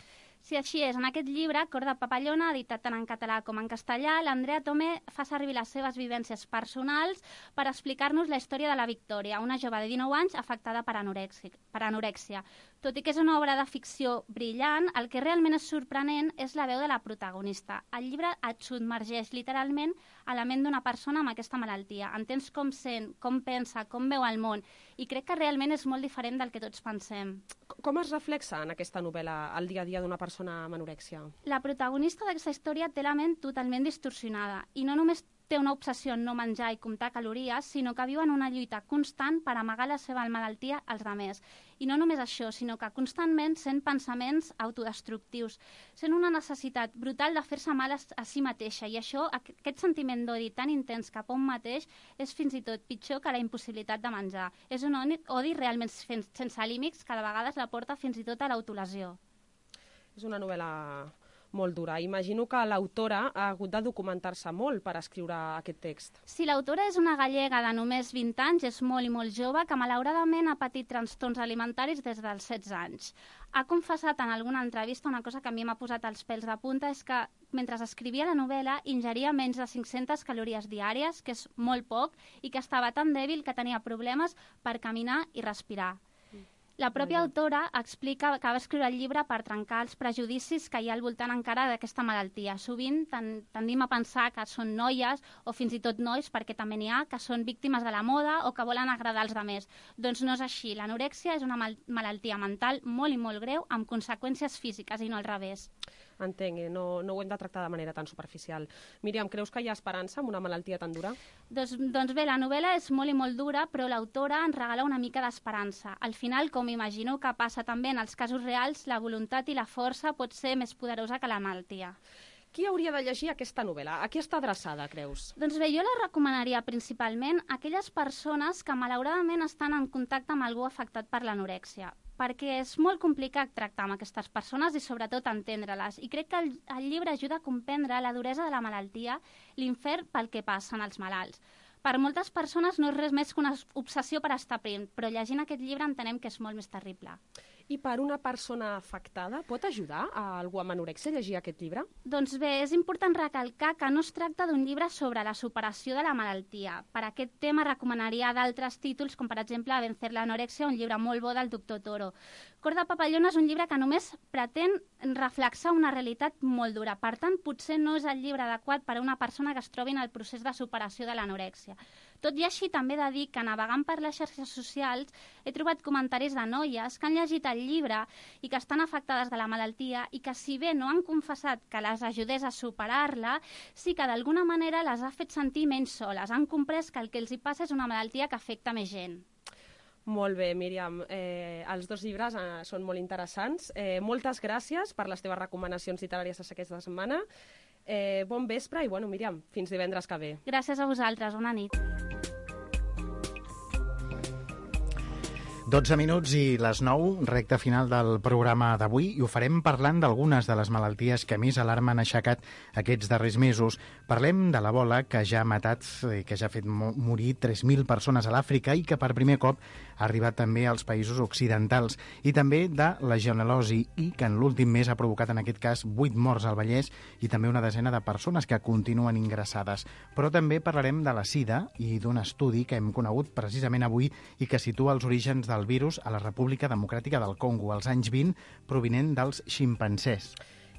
S14: Si així és, en aquest llibre, Cor de papallona, editat tant en català com en castellà, l'Andrea Tomé fa servir les seves vivències personals per explicar-nos la història de la Victòria, una jove de 19 anys afectada per anorèxia. Tot i que és una obra de ficció brillant, el que realment és sorprenent és la veu de la protagonista. El llibre et submergeix literalment a la ment d'una persona amb aquesta malaltia. Entens com sent, com pensa, com veu el món, i crec que realment és molt diferent del que tots pensem.
S9: Com es reflexa en aquesta novel·la el dia a dia d'una persona amb anorèxia?
S14: La protagonista d'aquesta història té la ment totalment distorsionada i no només té una obsessió en no menjar i comptar calories, sinó que viu en una lluita constant per amagar la seva malaltia als altres. I no només això, sinó que constantment sent pensaments autodestructius, sent una necessitat brutal de fer-se mal a si mateixa, i això, aquest sentiment d'odi tan intens cap a un mateix, és fins i tot pitjor que la impossibilitat de menjar. És un odi realment sense límits que de vegades la porta fins i tot a l'autolesió.
S9: És una novel·la molt dura. Imagino que l'autora ha hagut de documentar-se molt per escriure aquest text.
S14: Sí, l'autora és una gallega de només 20 anys, és molt i molt jove, que malauradament ha patit trastorns alimentaris des dels 16 anys. Ha confessat en alguna entrevista una cosa que a mi m'ha posat els pèls de punta, és que mentre escrivia la novel·la ingeria menys de 500 calories diàries, que és molt poc, i que estava tan dèbil que tenia problemes per caminar i respirar. La pròpia autora explica que va escriure el llibre per trencar els prejudicis que hi ha al voltant encara d'aquesta malaltia. Sovint tendim a pensar que són noies o fins i tot nois, perquè també n'hi ha, que són víctimes de la moda o que volen agradar als altres. Doncs no és així. L'anorèxia és una malaltia mental molt i molt greu amb conseqüències físiques i no al revés.
S9: Entenc, no ho hem de tractar de manera tan superficial. Míriam, creus que hi ha esperança amb una malaltia tan dura?
S14: Doncs bé, la novel·la és molt i molt dura, però l'autora ens regala una mica d'esperança. Al final, com imagino que passa també en els casos reals, la voluntat i la força pot ser més poderosa que la malaltia.
S9: Qui hauria de llegir aquesta novel·la? A qui està adreçada, creus?
S14: Doncs bé, jo la recomanaria principalment a aquelles persones que malauradament estan en contacte amb algú afectat per l'anorèxia, perquè és molt complicat tractar amb aquestes persones i sobretot entendre-les. I crec que el llibre ajuda a comprendre la duresa de la malaltia, l'infern pel que passen els malalts. Per moltes persones no és res més que una obsessió per estar prim, però llegint aquest llibre entenem que és molt més terrible.
S9: I per una persona afectada, pot ajudar a algú amb anorèxia a llegir aquest llibre?
S14: Doncs bé, és important recalcar que no es tracta d'un llibre sobre la superació de la malaltia. Per aquest tema recomanaria d'altres títols, com per exemple Vencer l'anorèxia, un llibre molt bo del doctor Toro. Cor de papallona és un llibre que només pretén reflexar una realitat molt dura. Per tant, potser no és el llibre adequat per a una persona que es trobi en el procés de superació de l'anorèxia. Tot i així, també he de dir que navegant per les xarxes socials he trobat comentaris de noies que han llegit el llibre i que estan afectades de la malaltia i que, si bé no han confessat que les ajudés a superar-la, sí que d'alguna manera les ha fet sentir menys soles. Han comprès que el que els hi passa és una malaltia que afecta més gent.
S9: Molt bé, Míriam. Els dos llibres són molt interessants. Moltes gràcies per les teves recomanacions literàries aquesta setmana. Bon vespre i, bueno, Míriam, fins divendres que ve.
S14: Gràcies a vosaltres. Bona nit.
S8: 12 minuts i les 9, recta final del programa d'avui, i ho farem parlant d'algunes de les malalties que més alarma han aixecat aquests darrers mesos. Parlem de l'Ebola, que ja ha matat, que ja ha fet morir 3.000 persones a l'Àfrica i que per primer cop ha arribat també als països occidentals, i també de la legionel·losi, i que en l'últim mes ha provocat en aquest cas 8 morts al Vallès i també una desena de persones que continuen ingressades. Però també parlarem de la sida i d'un estudi que hem conegut precisament avui i que situa els orígens del virus a la República Democràtica del Congo, als anys 20, provinent dels ximpancers.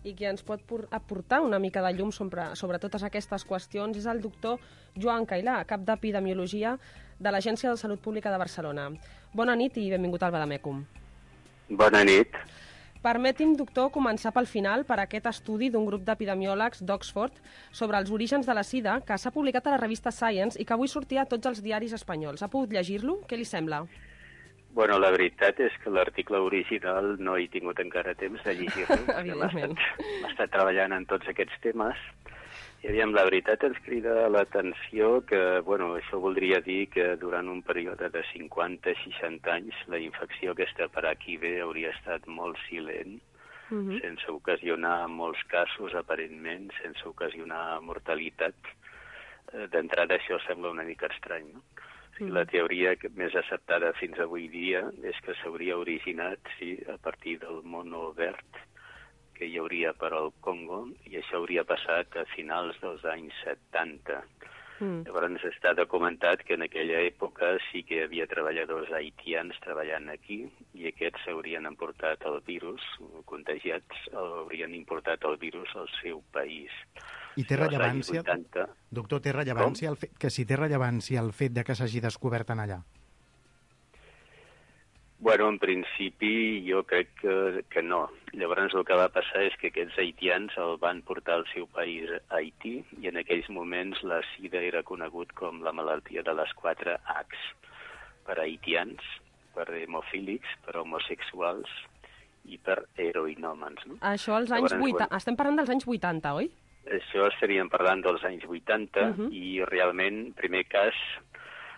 S9: I qui ens pot aportar una mica de llum sobre totes aquestes qüestions és el doctor Joan Cailà, cap d'Epidemiologia de l'Agència de Salut Pública de Barcelona. Bona nit i benvingut al Vademecum.
S15: Bona nit.
S9: Permeti'm, doctor, començar pel final per aquest estudi d'un grup d'epidemiòlegs d'Oxford sobre els orígens de la sida que s'ha publicat a la revista Science i que avui sortia a tots els diaris espanyols. Ha pogut llegir-lo? Què li sembla?
S15: Bueno, la veritat és que l'article original no he tingut encara temps de llegir-lo.
S9: Evidentment.
S15: M'ha estat treballant en tots aquests temes. I aviam, la veritat ens crida l'atenció que, bueno, això voldria dir que durant un període de 50-60 anys la infecció aquesta per HIV hauria estat molt silent, sense ocasionar molts casos, aparentment, sense ocasionar mortalitat. D'entrada això sembla una mica estrany, no? La teoria més acceptada fins avui dia és que s'hauria originat, sí, a partir del mono verd que hi hauria per al Congo, i això hauria passat a finals dels anys 70. Llavors està documentat que en aquella època sí que hi havia treballadors haitians treballant aquí i aquests haurien emportat el virus, contagiats, haurien importat el virus al seu país.
S8: I té rellevància, doctor, té rellevància si té rellevància el fet de que s'hagi descobert en allà?
S15: Bueno, en principi jo crec que no. Llavors el que va passar és que aquests haitians el van portar al seu país, Haití, i en aquells moments la sida era conegut com la malaltia de les 4 Hs, per haitians, per hemofílics, per homosexuals i per heroinòmens. No?
S9: Això als anys 80, estem parlant dels anys 80, oi?
S15: Això estaríem parlant dels anys 80 i realment primer cas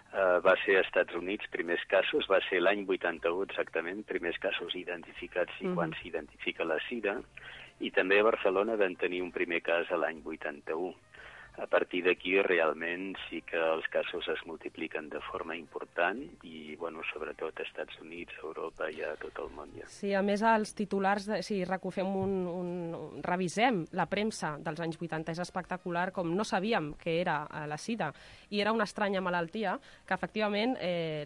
S15: va ser als Estats Units, primers casos, va ser l'any 81 exactament, primers casos identificats i quan s'identifica la sida, i també a Barcelona van tenir un primer cas a l'any 81. A partir d'aquí realment sí que els casos es multipliquen de forma important i, bueno, sobretot als Estats Units, a Europa i a tot el món ja.
S9: Sí, a més els titulars, si revisem la premsa dels anys 80, és espectacular com no sabíem què era la sida i era una estranya malaltia que efectivament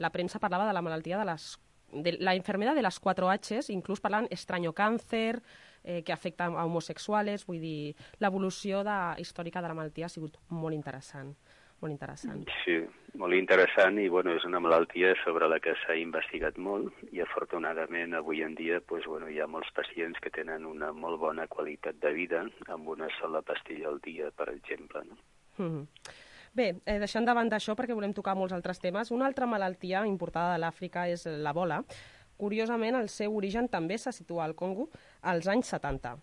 S9: la premsa parlava de la malaltia de la enfermedad de les 4 Hs, inclús parlant estrany càncer, que afecta a homosexuals, vull dir, l'evolució històrica de la malaltia ha sigut molt interessant. Molt interessant.
S15: Sí, molt interessant i bueno, és una malaltia sobre la que s'ha investigat molt i afortunadament avui en dia doncs, bueno, hi ha molts pacients que tenen una molt bona qualitat de vida amb una sola pastilla al dia, per exemple. No?
S9: Bé, deixant de banda això perquè volem tocar molts altres temes, una altra malaltia importada de l'Àfrica és l'Ebola. Curiosament, el seu origen també se situa al Congo als anys 70.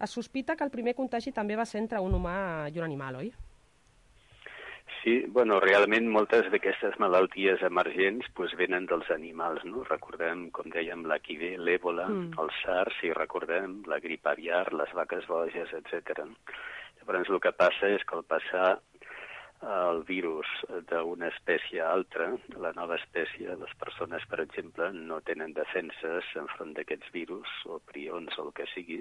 S9: Es sospita que el primer contagi també va ser entre un humà i un animal, oi?
S15: Sí, bueno, realment moltes d'aquestes malalties emergents doncs, venen dels animals, no? Recordem, com dèiem, l'HIV, l'Ebola, el SARS, si recordem, la grip aviar, les vaques boges, etc. Llavors, el que passa és que al passar el virus d'una espècie a altra, la nova espècie, les persones, per exemple, no tenen defenses enfront d'aquests virus o prions o el que sigui,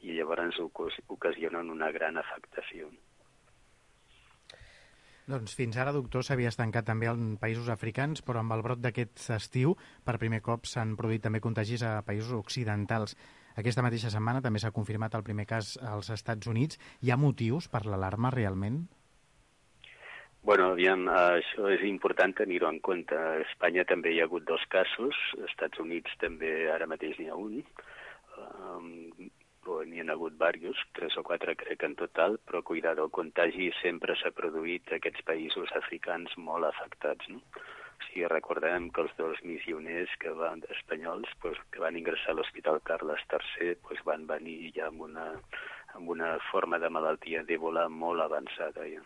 S15: i llavors ocasionen una gran afectació.
S8: Doncs fins ara, doctor, s'havia estancat també en països africans, però amb el brot d'aquest estiu, per primer cop s'han produït també contagis a països occidentals. Aquesta mateixa setmana també s'ha confirmat el primer cas als Estats Units. Hi ha motius per l'alarma realment?
S15: Bueno, aviam, això és important tenir-ho en compte. A Espanya també hi ha hagut 2 casos, als Estats Units també ara mateix n'hi ha un, n'hi ha hagut diversos, 3 o 4 crec en total, però cuidado, el contagi sempre s'ha produït a aquests països africans molt afectats, no? sigui, recordem que els 2 missioners espanyols que van ingressar a l'Hospital Carles III van venir ja amb una forma de malaltia d'Ebola molt avançada. Ja.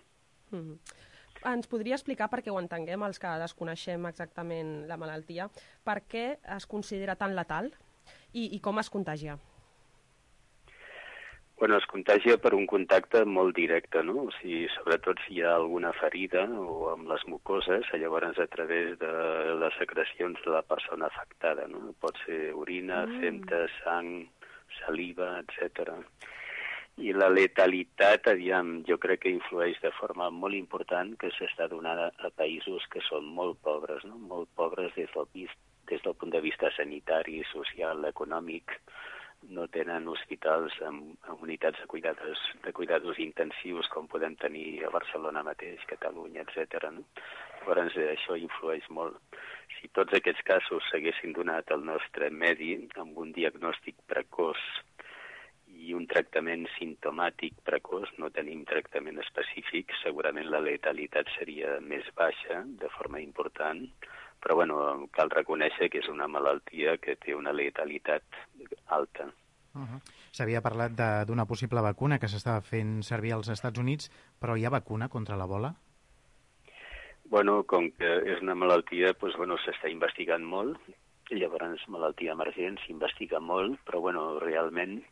S9: Ens podria explicar, perquè ho entenguem, els que desconeixem exactament la malaltia, per què es considera tan letal i com es contagia?
S15: Bueno, es contagia per un contacte molt directe, no? O sigui, sobretot si hi ha alguna ferida o amb les mucoses, llavors a través de les secrecions de la persona afectada, no? Pot ser orina, femta, sang, saliva, etc. I la letalitat, jo crec que influeix de forma molt important, que s'està donant a països que són molt pobres, no? Molt pobres des del punt de vista sanitari, social, econòmic. No tenen hospitals amb unitats de cuidados intensius com podem tenir a Barcelona mateix, Catalunya, etc. No? Llavors això influeix molt. Si tots aquests casos s'haguessin donat al nostre medi amb un diagnòstic precoç i un tractament simptomàtic precoç, no tenim tractament específic, segurament la letalitat seria més baixa de forma important, però cal reconèixer que és una malaltia que té una letalitat alta.
S8: S'havia parlat d'una possible vacuna que s'estava fent servir als Estats Units, però hi ha vacuna contra l'Ebola?
S15: Com que és una malaltia, s'està investigant molt, llavors malaltia emergent s'investiga molt, però realment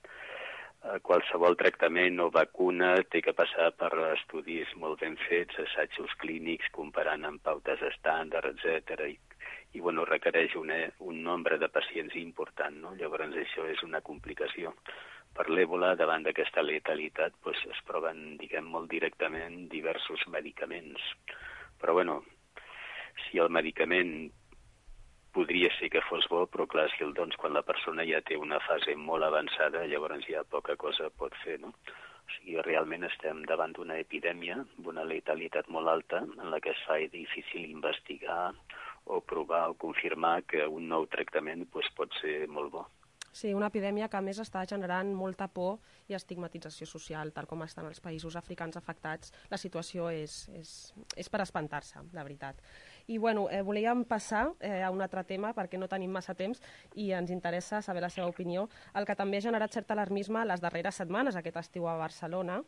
S15: qualsevol tractament o vacuna té que passar per estudis molt ben fets, assajos clínics, comparant amb pautes estàndard, etc. I requereix un nombre de pacients important, no? Llavors això és una complicació. Per l'Ebola, davant d'aquesta letalitat, es proven, molt directament diversos medicaments. Però si el medicament podria ser que fos bo, però clar, si el dons quan la persona ja té una fase molt avançada, llavors ja poca cosa pot fer, no? O sigui, realment estem davant d'una epidèmia, amb una letalitat molt alta, en la que es fa difícil investigar o provar o confirmar que un nou tractament pot ser molt bo.
S9: Sí, una epidèmia que a més està generant molta por i estigmatització social, tal com estan els països africans afectats. La situació és per espantar-se, de veritat. I volíem passar a un altre tema, perquè no tenim massa temps i ens interessa saber la seva opinió. El que també ha generat cert alarmisme les darreres setmanes, aquest estiu a Barcelona,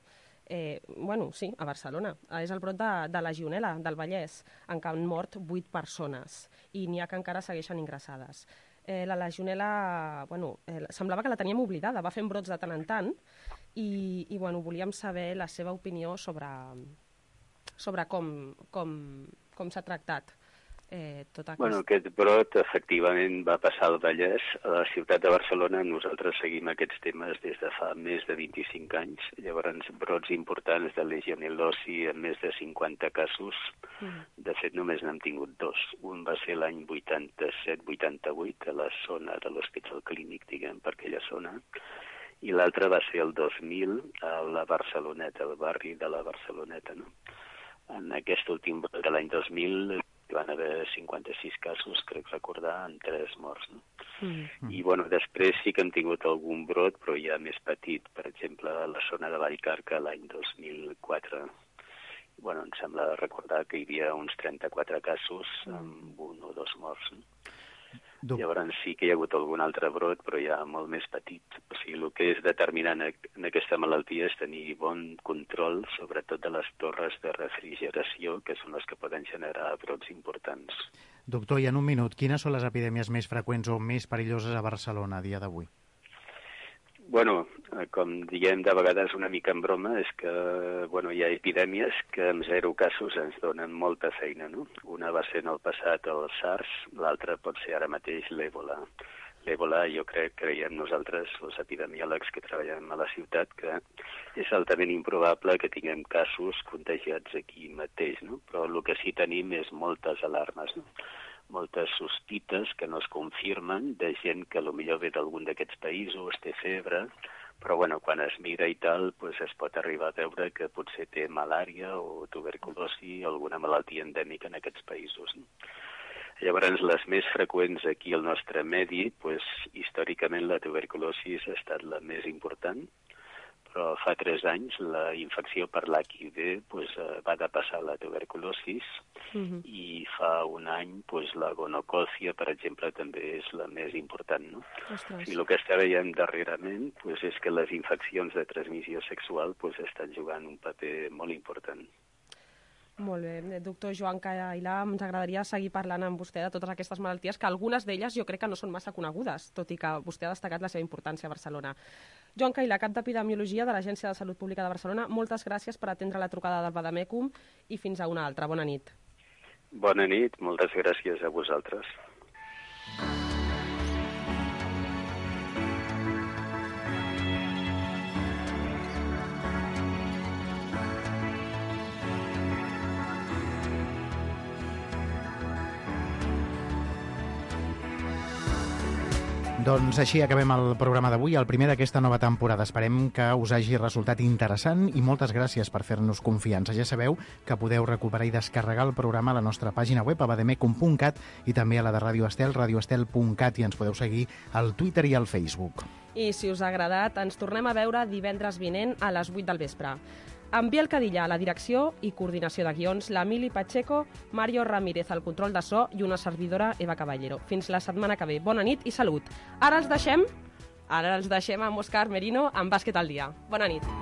S9: sí, a Barcelona. És el brot de Legionel·la, del Vallès, en què han mort 8 persones i n'hi ha que encara segueixen ingressades. La Legionel·la, semblava que la teníem oblidada, va fent brots de tant en tant i volíem saber la seva opinió sobre com s'ha tractat tot aquest...
S15: Aquest brot efectivament va passar al Vallès. A la ciutat de Barcelona nosaltres seguim aquests temes des de fa més de 25 anys. Llavors, brots importants de legionel·losi en més de 50 casos. De fet, només n'hem tingut 2. Un va ser l'any 87-88 a la zona de l'Hospital Clínic, per aquella zona. I l'altre va ser el 2000 a la Barceloneta, al barri de la Barceloneta. No? En aquest últim brot de l'any 2000... van haver 56 casos, crec recordar, amb 3 morts. No? I després sí que hem tingut algun brot, però ja més petit, per exemple, a la zona de Vallcarca l'any 2004. Em sembla recordar que hi havia uns 34 casos amb 1 o 2 morts. No? Llavors sí que hi ha hagut algun altre brot, però ja molt més petit. O sigui, el que és determinant en aquesta malaltia és tenir bon control, sobretot de les torres de refrigeració, que són les que poden generar brots importants.
S8: Doctor, i en un minut, quines són les epidèmies més freqüents o més perilloses a Barcelona a dia d'avui?
S15: Com diem de vegades una mica en broma, és que hi ha epidèmies que amb 0 casos ens donen molta feina. No? Una va ser en el passat el SARS, l'altra pot ser ara mateix l'Ebola. L'Ebola, jo creiem nosaltres, els epidemiòlegs que treballem a la ciutat, que és altament improbable que tinguem casos contagiats aquí mateix, no? Però el que sí tenim és moltes alarmes, no? Moltes sospites que no es confirmen de gent que potser ve d'algun d'aquests països, té febre, però quan es mira i tal, es pot arribar a veure que potser té malària o tuberculosi o alguna malaltia endèmica en aquests països. No? Llavors, les més freqüents aquí al nostre medi, històricament la tuberculosi ha estat la més important, però fa 3 anys la infecció per l'HIV va depassar la tuberculosis i fa un any la gonocòcia, per exemple, també és la més important. No? I el que està veient darrerament és que les infeccions de transmissió sexual estan jugant un paper molt important.
S9: Molt bé. Doctor Joan Cailà, ens agradaria seguir parlant amb vostè de totes aquestes malalties, que algunes d'elles jo crec que no són massa conegudes, tot i que vostè ha destacat la seva importància a Barcelona. Joan Cailà, cap d'Epidemiologia de l'Agència de Salut Pública de Barcelona, moltes gràcies per atendre la trucada del Vademecum i fins a una altra. Bona nit.
S15: Bona nit, moltes gràcies a vosaltres.
S8: Doncs així acabem el programa d'avui, el primer d'aquesta nova temporada. Esperem que us hagi resultat interessant i moltes gràcies per fer-nos confiança. Ja sabeu que podeu recuperar i descarregar el programa a la nostra pàgina web, a vademecum.cat, i també a la de Radio Estel, radioestel.cat, i ens podeu seguir al Twitter i al Facebook.
S9: I si us ha agradat, ens tornem a veure divendres vinent a les 8 del vespre. Amb Biel Cadillà a la direcció i coordinació de guions, l'Emili Pacheco, Mario Ramírez al control de so i una servidora, Eva Caballero. Fins la setmana que ve. Bona nit i salut. Ara els deixem amb Òscar Merino amb Bàsquet al dia. Bona nit.